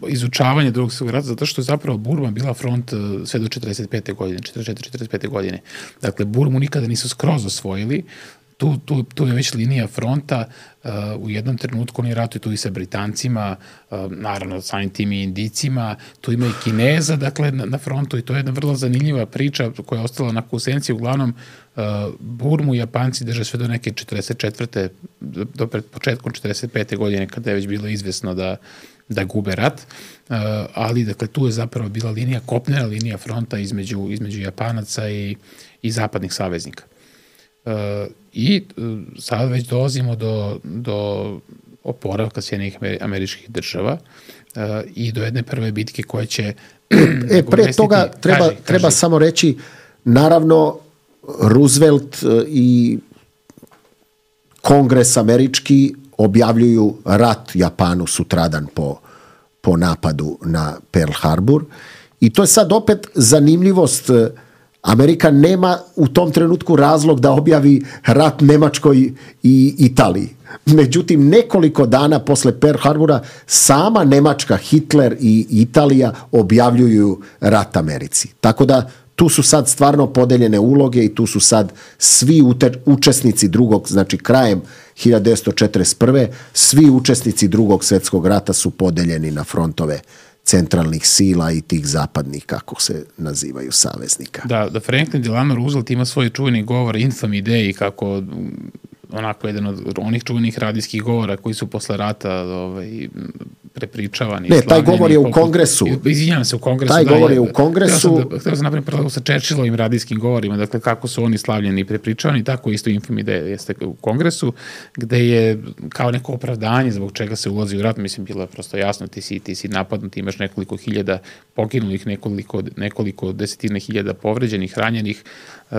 izučavanja drugog svjetskog rata, zato što je zapravo Burma bila front sve do četrdeset pete godine, četrdeset četvrte četrdeset pete godine. Dakle, Burmu nikada nisu skroz osvojili, tu, tu, tu je već linija fronta, uh, u jednom trenutku oni ratuju tu i sa Britancima, uh, naravno samim tim i Indijcima, tu ima i Kineza, dakle, na, na frontu, i to je jedna vrlo zanimljiva priča koja je ostala na kusenci. Uglavnom, uh, Burmu Japanci drže sve do neke četrdeset četvrte do, do pred početkom četrdeset pete godine, kada je već bilo izvesno da da gube rat, uh, ali dakle tu je zapravo bila linija, kopnena linija fronta između, između Japanaca i, i zapadnih saveznika. Uh, I uh, sad već dolazimo do, do oporavka Sjedinjenih američkih država uh, i do jedne prve bitke koja će... E, pre toga treba, kaži, kaži. treba samo reći, naravno, Roosevelt i Kongres američki objavljuju rat Japanu sutradan po, po napadu na Pearl Harbor, i to je sad opet zanimljivost. Amerika nema u tom trenutku razlog da objavi rat Nemačkoj i Italiji. Međutim, nekoliko dana posle Pearl Harbora sama Nemačka, Hitler i Italija objavljuju rat Americi. Tako da tu su sad stvarno podeljene uloge i tu su sad svi ute, učesnici drugog, znači krajem hiljadu devetsto četrdeset prve svi učesnici drugog svjetskog rata su podeljeni na frontove centralnih sila i tih zapadnih, kako se nazivaju, saveznika. Da, da Franklin Delano Roosevelt ima svoj čuveni govor Infamy Day, kako onako jedan od onih čuvenih radijskih govora koji su posle rata ovaj, prepričavani. Ne, taj govor je u Kongresu. Izvinjam se, u Kongresu. Taj da, govor je u Kongresu. Htio sam, htio sam napraviti paralelu sa Churchillovim radijskim govorima, dakle kako su oni slavljeni i prepričavani, tako isto Infamy Day jeste u Kongresu, gde je kao neko opravdanje zbog čega se ulazi u rat, mislim, bilo je prosto jasno, ti si, ti si napadnut, imaš nekoliko hiljada poginulih, nekoliko, nekoliko desetine hiljada povređenih, ranjenih, uh,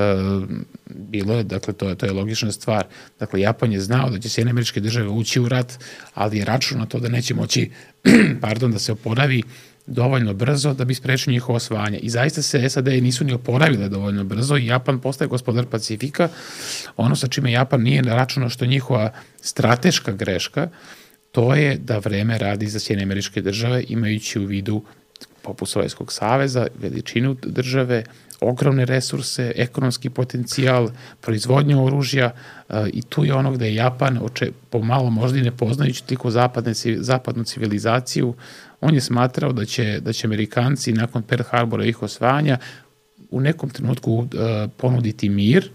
bilo je, dakle, to je, to je logična stvar. Dakle, Japan je znao da će Sjedinjene Američke Države ući u rat, ali je računao na to da neće moći pardon, da se oporavi dovoljno brzo da bi sprečio njihovo osvajanje. I zaista se S A D nisu ni oporavile dovoljno brzo i Japan postaje gospodar Pacifika. Ono sa čime Japan nije računao što je njihova strateška greška, to je da vreme radi za Sjedinjene Američke Države, imajući u vidu poput Sovjetskog saveza, veličinu države, ogromne resurse, ekonomski potencijal, proizvodnju oružja, uh, i tu je ono gde je Japan, oče, pomalo možda i ne poznajući tiku zapadne, zapadnu civilizaciju, on je smatrao da će, da će Amerikanci nakon Pearl Harbora i ih osvajanja u nekom trenutku uh, ponuditi mir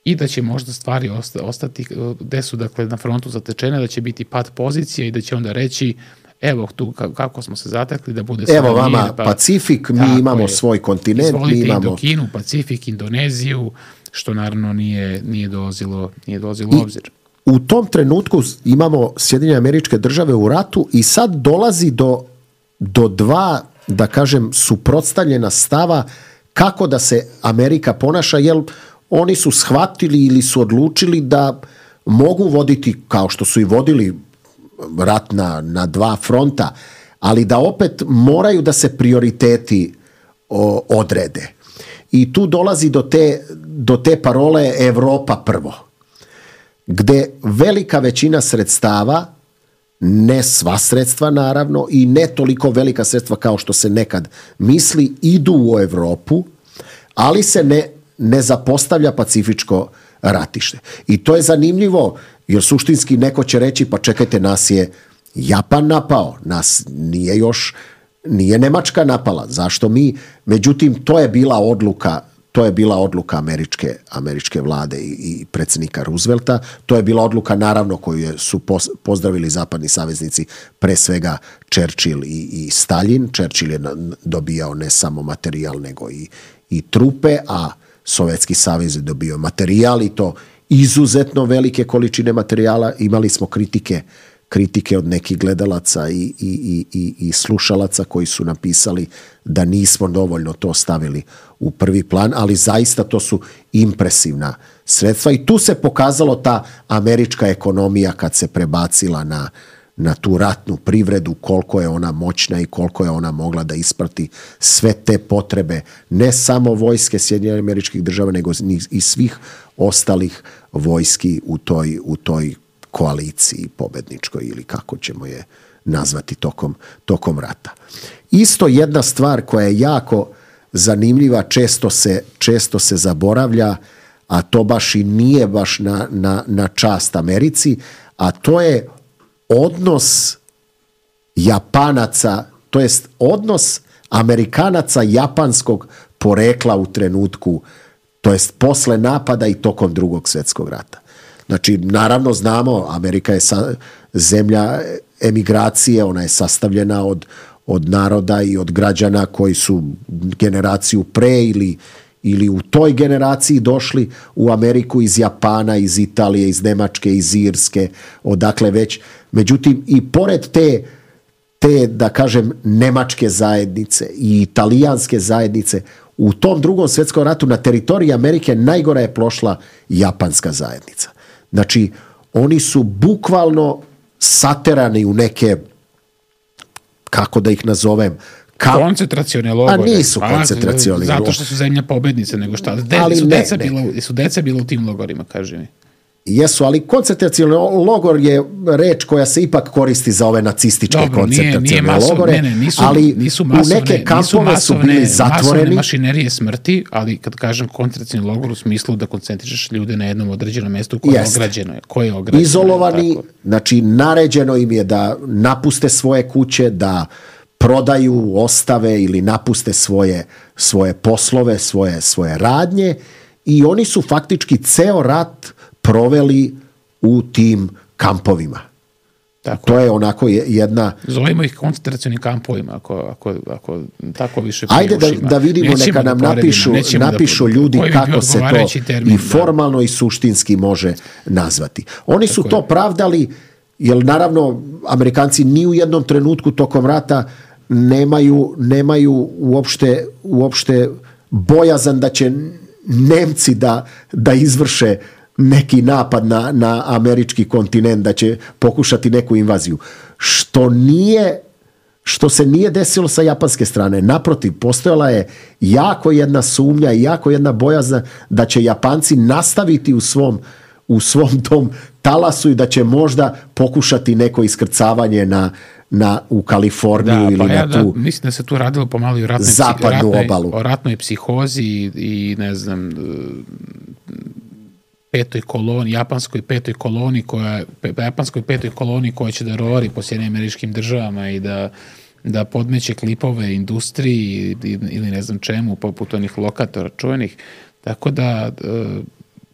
i da će možda stvari ostati gde su, dakle, na frontu zatečene, da će biti pad pozicija i da će onda reći evo tu kako smo se zatekli da bude sve evo vama mir, pa, Pacifik, mi imamo je, svoj kontinent, izvolite mi imamo Indokinu, Pacifik, Indoneziju, što naravno nije, nije dolazilo, nije dolazilo u obzir. U tom trenutku imamo Sjedinjene Američke Države u ratu i sad dolazi do, do dva, da kažem, suprotstavljena stava kako da se Amerika ponaša, jer oni su shvatili ili su odlučili da mogu voditi, kao što su i vodili rat na, na dva fronta, ali da opet moraju da se prioriteti o, odrede. I tu dolazi do te, do te parole Evropa prvo, gde velika većina sredstava, ne sva sredstva naravno i ne toliko velika sredstva kao što se nekad misli, idu u Evropu, ali se ne, ne zapostavlja pacifičko ratište. I to je zanimljivo, jer suštinski neko će reći, pa čekajte, nas je Japan napao, nas nije još, nije Nemačka napala, zašto mi? Međutim, to je bila odluka, to je bila odluka američke, američke vlade i, i predsjednika Roosevelta, to je bila odluka naravno koju su pozdravili zapadni saveznici, pre svega Churchill i, i Stalin. Churchill je dobijao ne samo materijal, nego i, i trupe, a Sovjetski savez je dobio materijal i to izuzetno velike količine materijala. Imali smo kritike, kritike od nekih gledalaca i, i, i, i, i slušalaca koji su napisali da nismo dovoljno to stavili u prvi plan, ali zaista to su impresivna sredstva i tu se pokazalo ta američka ekonomija kad se prebacila na, na tu ratnu privredu, koliko je ona moćna i koliko je ona mogla da isprati sve te potrebe, ne samo vojske Sjedinjenih Američkih Država, nego i svih ostalih vojski u toj, u toj koaliciji pobedničkoj ili kako ćemo je nazvati tokom, tokom rata. Isto jedna stvar koja je jako zanimljiva, često se, često se zaboravlja, a to baš i nije baš na, na, na čast Americi, a to je odnos Japanaca, to jest odnos Amerikanaca japanskog porekla u trenutku, to jest posle napada i tokom Drugog svjetskog rata. Znači, naravno znamo, Amerika je sa, zemlja emigracije, ona je sastavljena od, od naroda i od građana koji su generaciju pre ili, ili u toj generaciji došli u Ameriku iz Japana, iz Italije, iz Nemačke, iz Irske, odakle već. Međutim, i pored te, te, da kažem, nemačke zajednice i italijanske zajednice, u tom Drugom svjetskom ratu na teritoriji Amerike najgora je prošla japanska zajednica. Znači, oni su bukvalno saterani u neke, kako da ih nazovem, Ka... koncentracione logore. A nisu koncentracioni logore. Zato što su zemlja pobednice, nego šta? De, ali su, ne, deca ne. Bila, su deca bila u tim logorima, kaži mi. Jesu, ali koncentracioni logor je reč koja se ipak koristi za ove nacističke Dobro, koncentracione nije, nije masov, logore, ne, ne, nisu, ali nisu masovne, u neke kampove su bili zatvoreni. Masovne mašinerije smrti, ali kad kažem koncentracioni logor u smislu da koncentrišeš ljude na jednom određenom mestu koje je ograđeno. Koje je ograđeno Izolovani, znači naređeno im je da napuste svoje kuće, da prodaju, ostave ili napuste svoje, svoje poslove, svoje, svoje radnje i oni su faktički ceo rat proveli u tim kampovima. Tako. To je onako jedna... Zovemo ih koncentracionim kampovima, ako, ako, ako tako više Ajde da, da vidimo, nećemo neka nam da napišu, napišu da, ljudi kako se to termin, i formalno da. I suštinski može nazvati. Oni tako su to je. Pravdali, jer naravno Amerikanci ni u jednom trenutku tokom rata nemaju, nemaju uopšte, uopšte bojazan da će Nemci da, da izvrše neki napad na, na američki kontinent, da će pokušati neku invaziju. Što nije, što se nije desilo sa japanske strane. Naprotiv, postojala je jako jedna sumnja i jako jedna bojazna da će Japanci nastaviti u svom, u svom tom talasu i da će možda pokušati neko iskrcavanje na, na, u Kaliforniju da, ili pa ja, na tu da, mislim da se tu radilo pomalo i o ratnoj, zapadnu ratnoj, obalu. O ratnoj psihozi i, i ne znam... petoj koloni, japanskoj petoj koloni koja, japanskoj petoj koloni koja će da rovari po Sjedinjenim Američkim Državama i da, da podmeće klipove industriji ili ne znam čemu, poput onih lokatora čuvenih. Tako da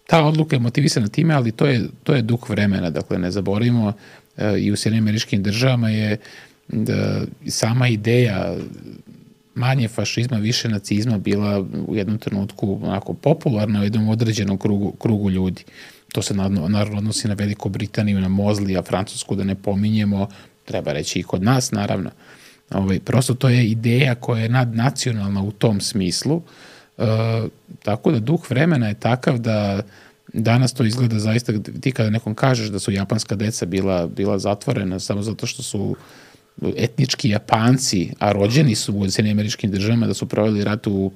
ta odluka je motivisana time, ali to je, to je duh vremena, dakle ne zaboravimo, i u Sjedinjenim Američkim Državama je da sama ideja manje fašizma, više nacizma bila u jednom trenutku onako popularna u jednom određenom krugu, krugu ljudi. To se naravno odnosi na Veliku Britaniju, na Mozlija, Francusku, da ne pominjemo, treba reći i kod nas, naravno. Ovaj, prosto to je ideja koja je nadnacionalna u tom smislu, e, tako da duh vremena je takav da danas to izgleda zaista, ti kada nekom kažeš da su japanska deca bila, bila zatvorena samo zato što su etnički Japanci, a rođeni su u Sjedinjenim Američkim Državama, da su proveli rat u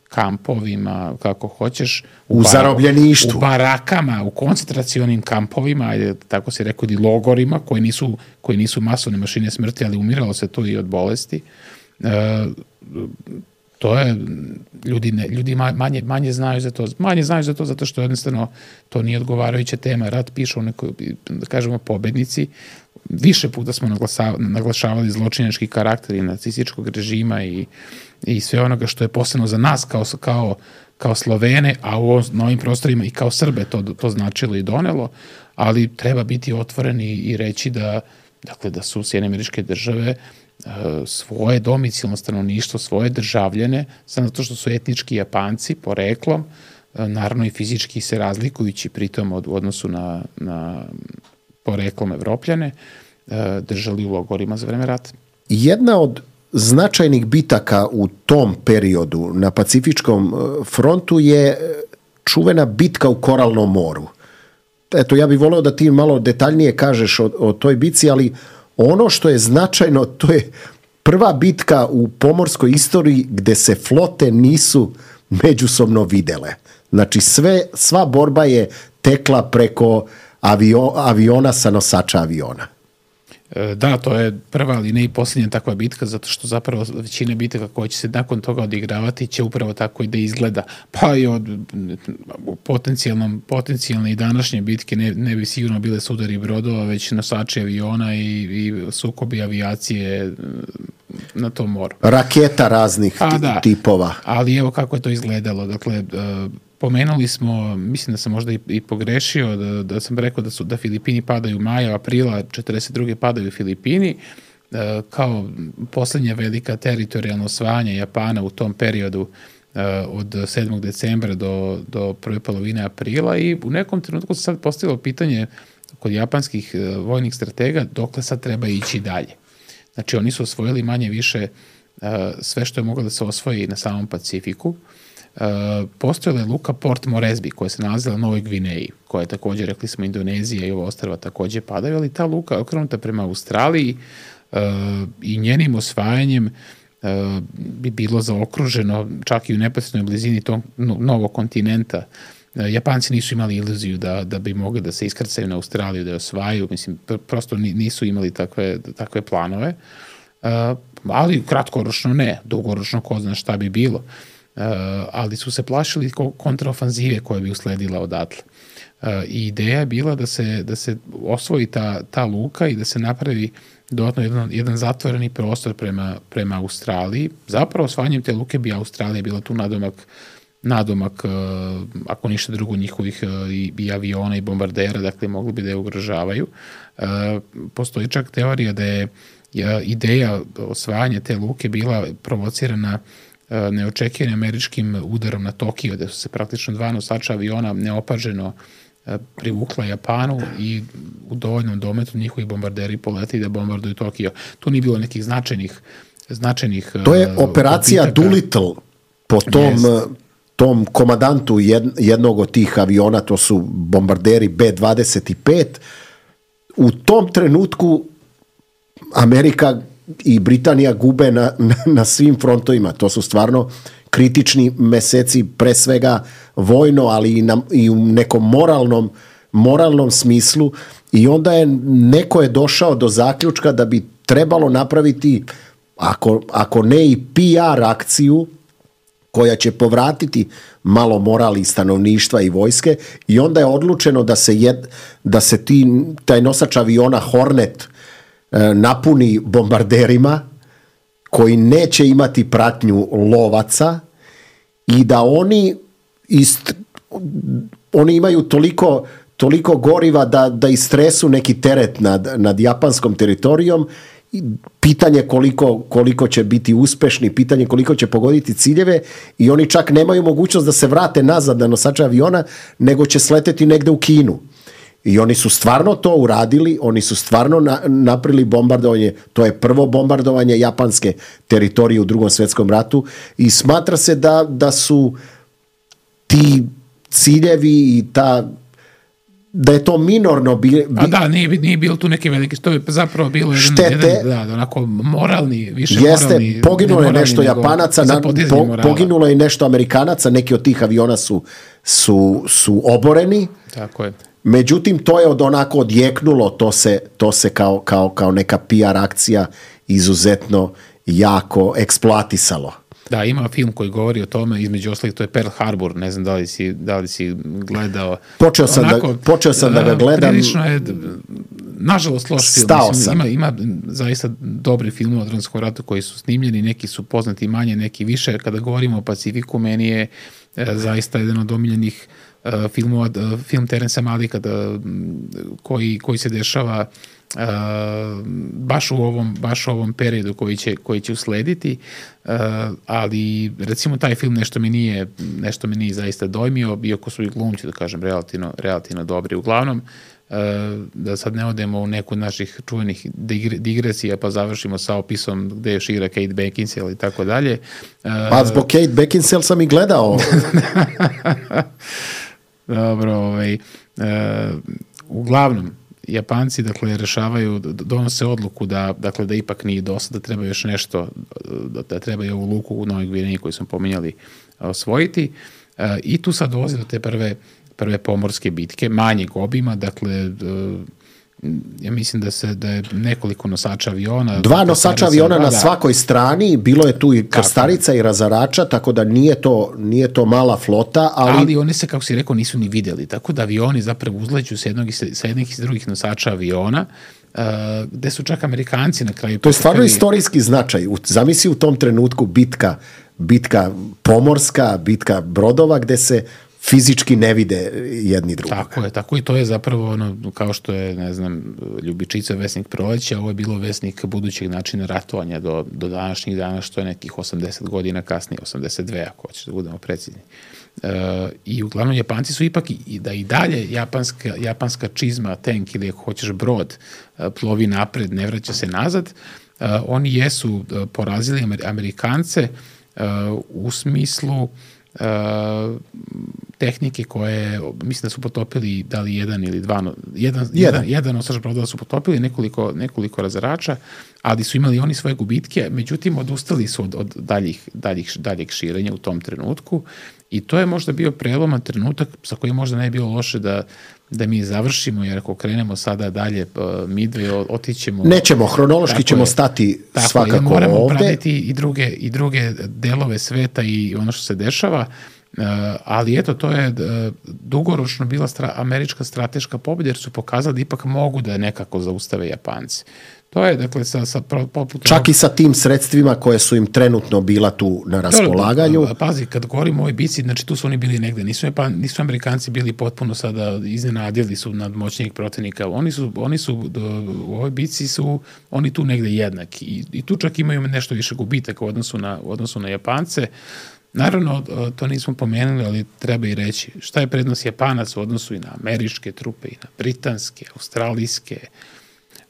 kampovima, kako hoćeš. U, u zarobljeništvu. U barakama, u koncentracionim kampovima, ajde, tako se rekao, i logorima, koji nisu, koji nisu masovne mašine smrti, ali umiralo se tu i od bolesti. E, to je, ljudi, ne, ljudi manje, manje znaju za to. Manje znaju za to zato što jednostavno to nije odgovarajuća tema. Rat pišu neko, da kažemo, pobednici. Više puta smo naglašavali zločinački karakter i nacističkog režima i, i sve onoga što je posebno za nas kao, kao, kao Slovene, a u novim prostorima i kao Srbe to, to značilo i donelo, ali treba biti otvoreni i reći da, dakle, da su Sjedinjene Američke Države svoje domicilno stanovništvo, svoje državljane, samo zato što su etnički Japanci poreklom, naravno i fizički se razlikujući pritom od, u odnosu na, na poreklom Evropljane, držali u logorima za vreme rata. Jedna od značajnih bitaka u tom periodu na Pacifičkom frontu je čuvena bitka u Koralnom moru. Eto, ja bih voleo da ti malo detaljnije kažeš o, o toj bitci, ali ono što je značajno, to je prva bitka u pomorskoj istoriji gde se flote nisu međusobno videle. Znači, sve, sva borba je tekla preko avio, aviona sa nosača aviona. Da, to je prva, ali ne i posljednja takva bitka, zato što zapravo većina bitaka koja će se nakon toga odigravati će upravo tako i da izgleda. Pa i od potencijalnom, potencijalne i današnje bitke ne, ne bi sigurno bile sudari brodova, već nosači aviona i, i sukobi avijacije na tom moru. Raketa raznih A, da, tipova. Ali evo kako je to izgledalo. Dakle, pomenuli smo, mislim da sam možda i, i pogrešio, da, da sam rekao da su da Filipini padaju maja, aprila četrdeset druge padaju Filipini, e, kao posljednja velika teritorijalna osvajanja Japana u tom periodu e, od sedmog decembra do, do prve polovine aprila, i u nekom trenutku se sad postavilo pitanje kod japanskih e, vojnih stratega dokle sad treba ići dalje. Znači, oni su osvojili manje više e, sve što je moglo da se osvoji na samom Pacifiku. Uh, postojala je luka Port Moresby koja se nalazila u Novoj Gvineji, koja je također, rekli smo, Indonezija i ova ostrva također padaju, ali ta luka je okrenuta prema Australiji uh, i njenim osvajanjem uh, bi bilo zaokruženo čak i u neposrednoj blizini tog novog kontinenta. Uh, Japanci nisu imali iluziju da, da bi mogli da se iskrcaju na Australiju, da je osvajaju, mislim, pr- prosto nisu imali takve, takve planove, uh, ali kratkoročno ne, dugoročno ko zna šta bi bilo. Uh, ali su se plašili kontraofanzive koja bi usledila odatle. Uh, I ideja je bila da se, da se osvoji ta, ta luka i da se napravi dodatno jedan, jedan zatvoreni prostor prema, prema Australiji. Zapravo osvajanjem te luke bi Australija bila tu nadomak, nadomak uh, ako ništa drugo, njihovih uh, i, i aviona i bombardera, dakle mogli bi da je ugrožavaju. Uh, postoji čak teorija da je uh, ideja osvajanja te luke bila provocirana neočekivanim američkim udarom na Tokio, da su se praktično dva nosača aviona neopaženo privukla Japanu i u dovoljnom dometu njihovi bombarderi poleti da bombarduju Tokio. Tu nije bilo nekih značajnih značajnih To je operacija uh, Doolittle po tom, yes. tom komandantu jednog od tih aviona, to su bombarderi B dvadeset pet. U tom trenutku Amerika i Britanija gube na, na, na svim frontovima. To su stvarno kritični meseci, pre svega vojno, ali i, na, i u nekom moralnom, moralnom smislu. I onda je neko je došao do zaključka da bi trebalo napraviti, ako, ako ne i P R akciju, koja će povratiti malo morali stanovništva i vojske, i onda je odlučeno da se, jed, da se ti, taj nosač aviona Hornet napuni bombarderima koji neće imati pratnju lovaca i da oni ist, oni imaju toliko, toliko goriva da, da istresu neki teret nad, nad japanskom teritorijom. Pitanje koliko, koliko će biti uspešni, pitanje koliko će pogoditi ciljeve i oni čak nemaju mogućnost da se vrate nazad na nosače aviona, nego će sleteti negde u Kinu. I oni su stvarno to uradili, oni su stvarno na, napravili bombardovanje, to je prvo bombardovanje japanske teritorije u Drugom svjetskom ratu i smatra se da, da su ti ciljevi i ta da je to minorno bi, bi... A da, nije, nije bilo tu neke velike, to je zapravo bilo jedan, štete, jedan, da, onako moralni, više jeste, moralni. Poginulo je nešto nego, Japanaca, na, po, poginulo je nešto Amerikanaca, neki od tih aviona su, su, su oboreni. Tako je. Međutim, to je od onako odjeknulo, to se, to se kao, kao, kao neka P R akcija izuzetno jako eksploatisalo. Da, ima film koji govori o tome, između ostalih, to je Pearl Harbor, ne znam da li si, da li si gledao. Počeo sam, onako, da, počeo sam da ga gledam. Prilično je, nažalost, loš film. Stao Mislim, sam. Ima, ima zaista dobri filmova o Drumskom ratu koji su snimljeni, neki su poznati manje, neki više. Kada govorimo o Pacifiku, meni je e, zaista jedan od omiljenih e, filmova, e, film Terensa Malika, da, koji, koji se dešava Uh, baš u ovom baš u ovom periodu koji će koji će uslediti, uh, ali recimo taj film nešto mi nije nešto mi nije zaista dojmio, iako su i glumci, da kažem, relativno relativno dobri. Uglavnom, uh, da sad ne odemo u neku od naših čuvenih digresija pa završimo sa opisom gde još igra Kate Beckinsale i tako dalje. Pa zbog Kate Beckinsale sam i gledao. Dobro, ovaj, uh, uglavnom Japanci, dakle, rešavaju, donose odluku da, dakle, da ipak nije dosta, da treba još nešto, da, da treba i ovu luku u Novoj Gvineji koju smo pominjali osvojiti. E, I tu sad dolazi do te prve, prve pomorske bitke, manjeg obima, dakle, e, ja mislim da se da je nekoliko nosača aviona. Dva nosača aviona na svakoj strani, bilo je tu i krstarica i razarača, tako da nije to, nije to mala flota. Ali... ali oni se, kako si rekao, nisu ni vidjeli, tako da avioni zapravo uzleću sa jednog, sa jednih i drugih nosača aviona, uh, gde su čak Amerikanci na kraju... To je stvarno istorijski značaj. Zamisli u tom trenutku bitka, bitka pomorska, bitka brodova, gde se fizički ne vide jedni drugi. Tako je, tako i to je zapravo ono, kao što je, ne znam, Ljubičica vesnik proleća, ovo je bilo vesnik budućeg načina ratovanja do, do današnjih dana, što je nekih osamdeset godina kasnije, osamdeset dve ako hoćeš da budemo precizni. E, I uglavnom Japanci su ipak i, da i dalje japanska, japanska čizma, tank ili ako hoćeš brod, plovi napred, ne vraća se nazad, e, oni jesu porazili Amerikance e, u smislu Uh, tehnike koje, mislim da su potopili da li jedan ili dva, jedan, jedan. jedan, jedan nosač brodova su potopili, nekoliko, nekoliko razarača, ali su imali oni svoje gubitke, međutim odustali su od, od daljih, daljih, daljeg širenja u tom trenutku i to je možda bio preloman trenutak sa kojim možda ne je bilo loše da da mi završimo, jer ako krenemo sada dalje mi dve otićemo... Nećemo, hronološki ćemo je, stati tako svakako je, moramo ovde. Moramo pratiti i druge, i druge delove sveta i ono što se dešava, uh, ali eto, to je uh, dugoročno bila stra, američka strateška pobjeda, jer su pokazali da ipak mogu da nekako zaustave Japanci. To je, dakle, sa, sa poput... Čak i sa tim sredstvima koje su im trenutno bila tu na raspolaganju. Dobro, pazi, kad govorimo o ovoj bici, znači tu su oni bili negde, nisu, pa, nisu Amerikanci bili potpuno sada iznenadili su nad moćnijeg protivnika, oni su, oni su u ovoj bici su, oni tu negde jednaki i, i tu čak imaju nešto više gubitaka u odnosu na, u odnosu na Japance. Naravno, to nismo pomenuli, ali treba i reći šta je prednost Japanaca u odnosu i na američke trupe, i na britanske, australijske.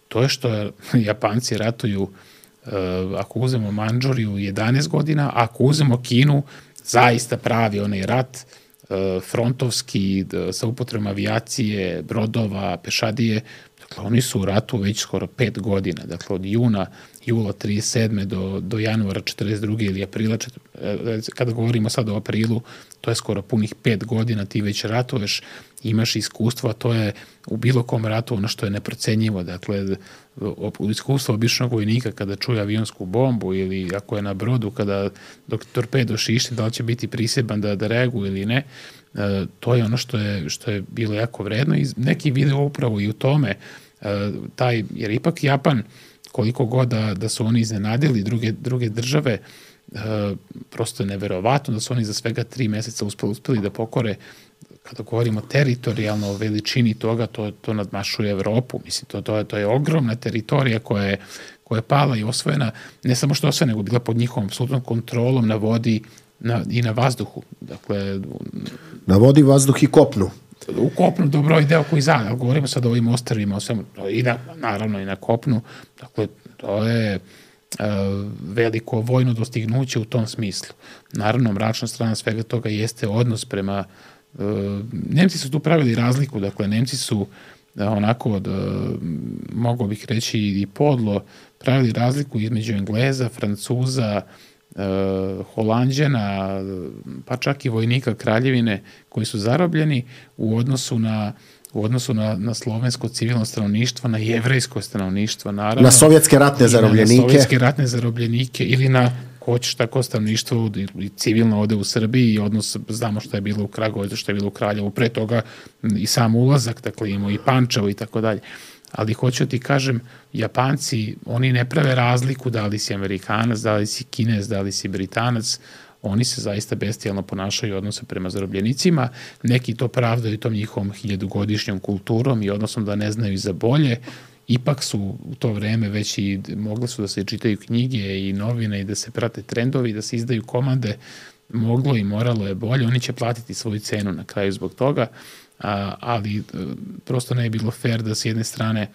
To je što Japanci ratuju, uh, ako uzmemo Mandžuriju, jedanaest godina, ako uzmemo Kinu, zaista pravi onaj rat, uh, frontovski, d, sa upotrebom avijacije, brodova, pešadije. Dakle, oni su u ratu već skoro pet godina. Dakle, od juna, jula trideset sedme do, do januara četrdeset druge ili aprila, čet, kada govorimo sad o aprilu, to je skoro punih pet godina, ti već ratuješ, imaš iskustva, to je u bilo kom ratu ono što je neprocenjivo. Dakle, iskustvo običnog vojnika kada čuje avionsku bombu ili ako je na brodu, kada dok torpedo šišti, da li će biti priseban da, da reaguje ili ne, e, to je ono što je, što je bilo jako vredno i neki video upravo i u tome, e, taj, jer ipak Japan, koliko god da, da su oni iznenadili druge, druge države, e, prosto je neverovatno da su oni za svega tri meseca uspeli, uspeli da pokore kada govorimo teritorijalno o veličini toga, to, to nadmašuje Evropu. Mislim, to, to, je, to je ogromna teritorija koja je, koja je pala i osvojena, ne samo što osvojena, nego bila pod njihovom apsolutnom kontrolom na vodi na, i na vazduhu. Dakle, na vodi, vazduh i kopnu. U kopnu dobro i deo koji zada, govorimo sad o ovim ostrvima, o svemu, i na, naravno i na kopnu. Dakle, to je uh, veliko vojno dostignuće u tom smislu. Naravno, mračna strana svega toga jeste odnos prema uh, Nemci su tu pravili razliku, dakle, Nemci su uh, onako, uh, mogao bih reći i podlo, pravili razliku između Engleza, Francuza, Uh, Holanđana, pa čak i vojnika kraljevine koji su zarobljeni u odnosu na u odnosu na, na slovensko civilno stanovništvo, na jevrejsko stanovništvo, naravno. Na sovjetske ratne zarobljenike. Na, na sovjetske ratne zarobljenike ili na hoćeš tako stanovništvo i civilno ode u Srbiji i odnos, znamo što je bilo u Kragujevcu, što je bilo u Kraljevu, pre toga i sam ulazak, dakle imamo i Pančevo i tako dalje. Ali hoću ti kažem, Japanci, oni ne prave razliku da li si Amerikanac, da li si Kinez, da li si Britanac, oni se zaista bestijalno ponašaju u odnosu prema zarobljenicima, neki to pravdaju tom njihovom hiljadugodišnjom kulturom i odnosom da ne znaju za bolje, ipak su u to vreme već i mogli su da se čitaju knjige i novine i da se prate trendovi, da se izdaju komande, moglo i moralo je bolje, oni će platiti svoju cenu na kraju zbog toga, A, ali prosto ne je bilo fair da s jedne strane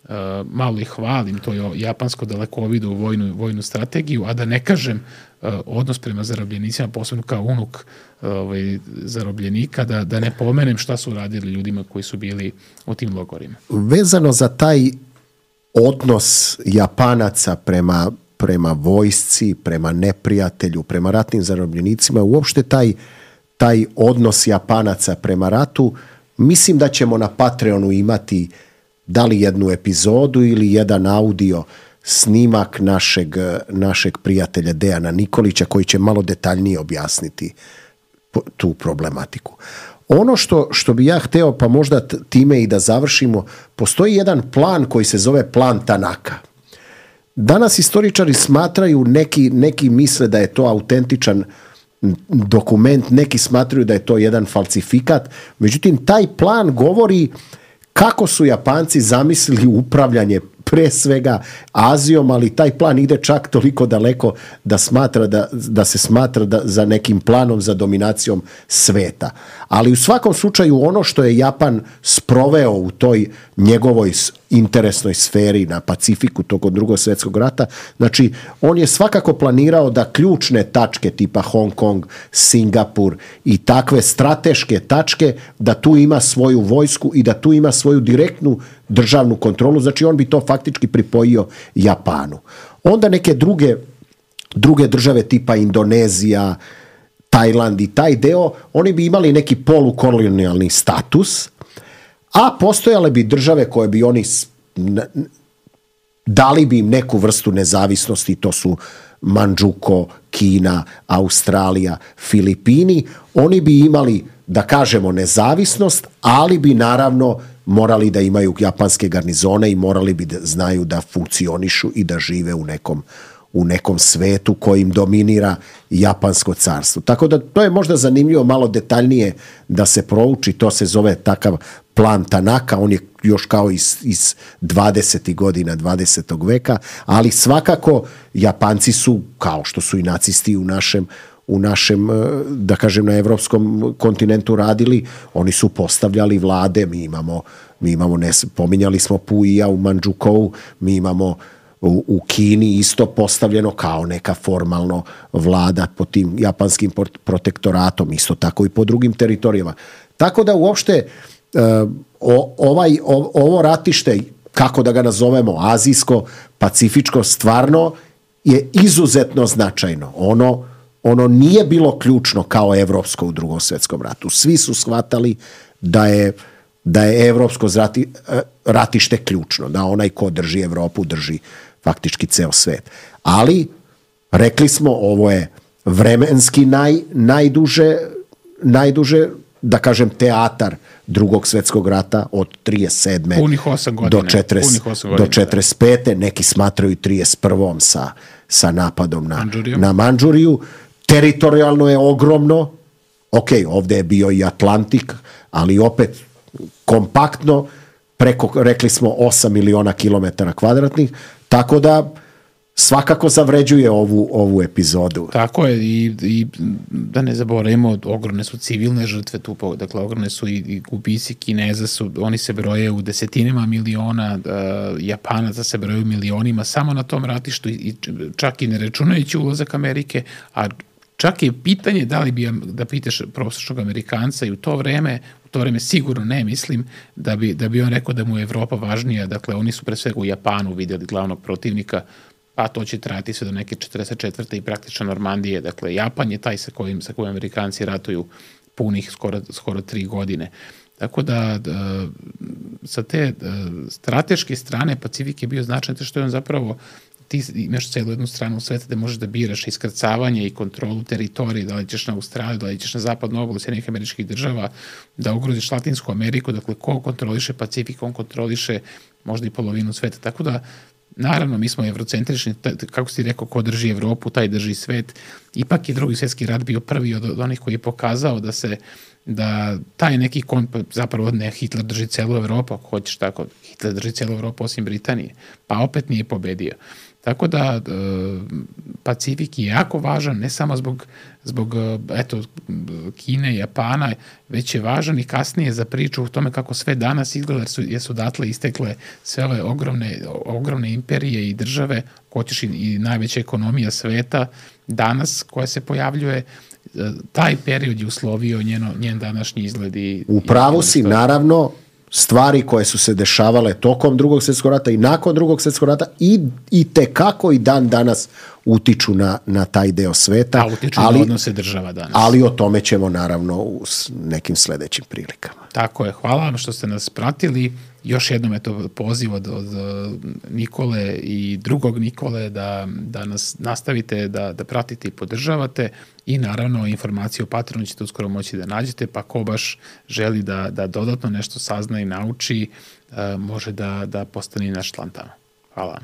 a, malo i hvalim to je japansko dalekovidu vojnu, vojnu strategiju, a da ne kažem a, odnos prema zarobljenicima, posebno kao unuk a, ovaj, zarobljenika, da, da ne pomenem šta su radili ljudima koji su bili u tim logorima. Vezano za taj odnos Japanaca prema, prema vojsci, prema neprijatelju, prema ratnim zarobljenicima, uopšte taj taj odnos Japanaca prema ratu, mislim da ćemo na Patreonu imati da li jednu epizodu ili jedan audio snimak našeg, našeg prijatelja Dejana Nikolića koji će malo detaljnije objasniti tu problematiku. Ono što, što bi ja hteo, pa možda time i da završimo, postoji jedan plan koji se zove plan Tanaka. Danas istoričari smatraju, neki, neki misle da je to autentičan dokument, neki smatraju da je to jedan falsifikat, međutim taj plan govori kako su Japanci zamislili upravljanje pre svega Azijom, ali taj plan ide čak toliko daleko da, smatra da, da se smatra da, za nekim planom za dominacijom sveta. Ali u svakom slučaju ono što je Japan sproveo u toj njegovoj interesnoj sferi na Pacifiku tokom Drugog svjetskog rata, znači on je svakako planirao da ključne tačke tipa Hong Kong, Singapur i takve strateške tačke, da tu ima svoju vojsku i da tu ima svoju direktnu državnu kontrolu, znači on bi to faktički pripojio Japanu. Onda neke druge, druge države tipa Indonezija, Tajland i taj deo, oni bi imali neki polukolonijalni status, a postojale bi države koje bi oni dali bi im neku vrstu nezavisnosti, to su Mandžuko, Kina, Australija, Filipini, oni bi imali, da kažemo, nezavisnost, ali bi naravno morali da imaju japanske garnizone i morali bi da znaju da funkcionišu i da žive u nekom, u nekom svetu kojim dominira japansko carstvo. Tako da to je možda zanimljivo malo detaljnije da se prouči, to se zove takav plan Tanaka, on je još kao iz, iz dvadesetih godina dvadesetog veka, ali svakako Japanci su, kao što su i nacisti u našem u našem, da kažem, na evropskom kontinentu radili, oni su postavljali vlade, mi imamo, mi imamo ne, pominjali smo Puija u Mandžukovu, mi imamo u, u Kini isto postavljeno kao neka formalno vlada pod tim japanskim protektoratom, isto tako i po drugim teritorijama. Tako da uopšte o, ovaj, o, ovo ratište, kako da ga nazovemo, azijsko, pacifičko, stvarno je izuzetno značajno. Ono Ono nije bilo ključno kao evropsko u Drugom svjetskom ratu. Svi su shvatali da je, da je evropsko zrati, ratište ključno, da onaj ko drži Evropu drži faktički ceo svet. Ali, rekli smo, ovo je vremenski naj, najduže, najduže, da kažem, teatar Drugog svjetskog rata od trideset sedme do četrdeset pete Neki smatraju trideset prvom sa, sa napadom na Mandžuriju. Na Mandžuriju. Teritorijalno je ogromno, Ok, ovdje je bio i Atlantik, ali opet kompaktno, preko, rekli smo, osam miliona kilometara kvadratnih, tako da svakako zavređuje ovu, ovu epizodu. Tako je, i, i da ne zaboravimo, ogromne su civilne žrtve tu, dakle ogromne su i, i gubici Kineza, su, oni se broje u desetinima miliona, uh, Japanaca se broje u milionima samo na tom ratištu, i, i čak i ne računajući ulazak Amerike, a čak je pitanje da li bi, da pitaš prosječnog Amerikanca i u to vreme, u to vreme sigurno ne mislim da bi, da bi on rekao da mu je Evropa važnija, dakle oni su pre svega u Japanu vidjeli glavnog protivnika, pa to će trajati sve do neke četrdeset četvrte i praktično Normandije. Dakle, Japan je taj sa kojim, sa kojim Amerikanci ratuju punih skoro, skoro tri godine. Tako da, da sa te da, strateške strane Pacifik je bio značajan, što je on zapravo, ti imaš celu jednu stranu sveta gde možeš da biraš iskrcavanje i kontrolu teritorije, da li ćeš na Australiju, da li ćeš na zapadnu obalu Sjedinjenih Američkih Država, da ugroziš Latinsku Ameriku, dakle, ko kontroliše Pacifik, on kontroliše možda i polovinu sveta. Tako da, naravno, mi smo evrocentrični, kako si rekao, ko drži Evropu, taj drži svet. Ipak je Drugi svjetski rat bio prvi od, od onih koji je pokazao da se, da taj neki kon, zapravo ne, Hitler drži celu Evropu, ako hoćeš tako, Hitler drži celu Evropu osim Britanije, pa opet nije pobedio. Tako da e, Pacifik je jako važan, ne samo zbog, zbog eto, Kine i Japana, već je važan i kasnije za priču o tome kako sve danas izgleda, jer su, jer su datle istekle sve ove ogromne, ogromne imperije i države, hoćeš i, i najveća ekonomija sveta danas koja se pojavljuje. Taj period je uslovio njeno, njen današnji izgled. I, u pravu si, naravno, stvari koje su se dešavale tokom Drugog svjetskog rata i nakon Drugog svjetskog rata i, i tekako i dan danas utiču na, na taj deo sveta. A utiču ali, na odnose država danas. Ali o tome ćemo naravno u nekim sledećim prilikama. Tako je. Hvala vam što ste nas pratili. Još jednom je to poziv od, od Nikole i drugog Nikole da, da nas nastavite da, da pratite i podržavate, i naravno informacije o Patreonu ćete uskoro moći da nađete, pa ko baš želi da, da dodatno nešto sazna i nauči, može da, da postane naš član tamo. Hvala vam.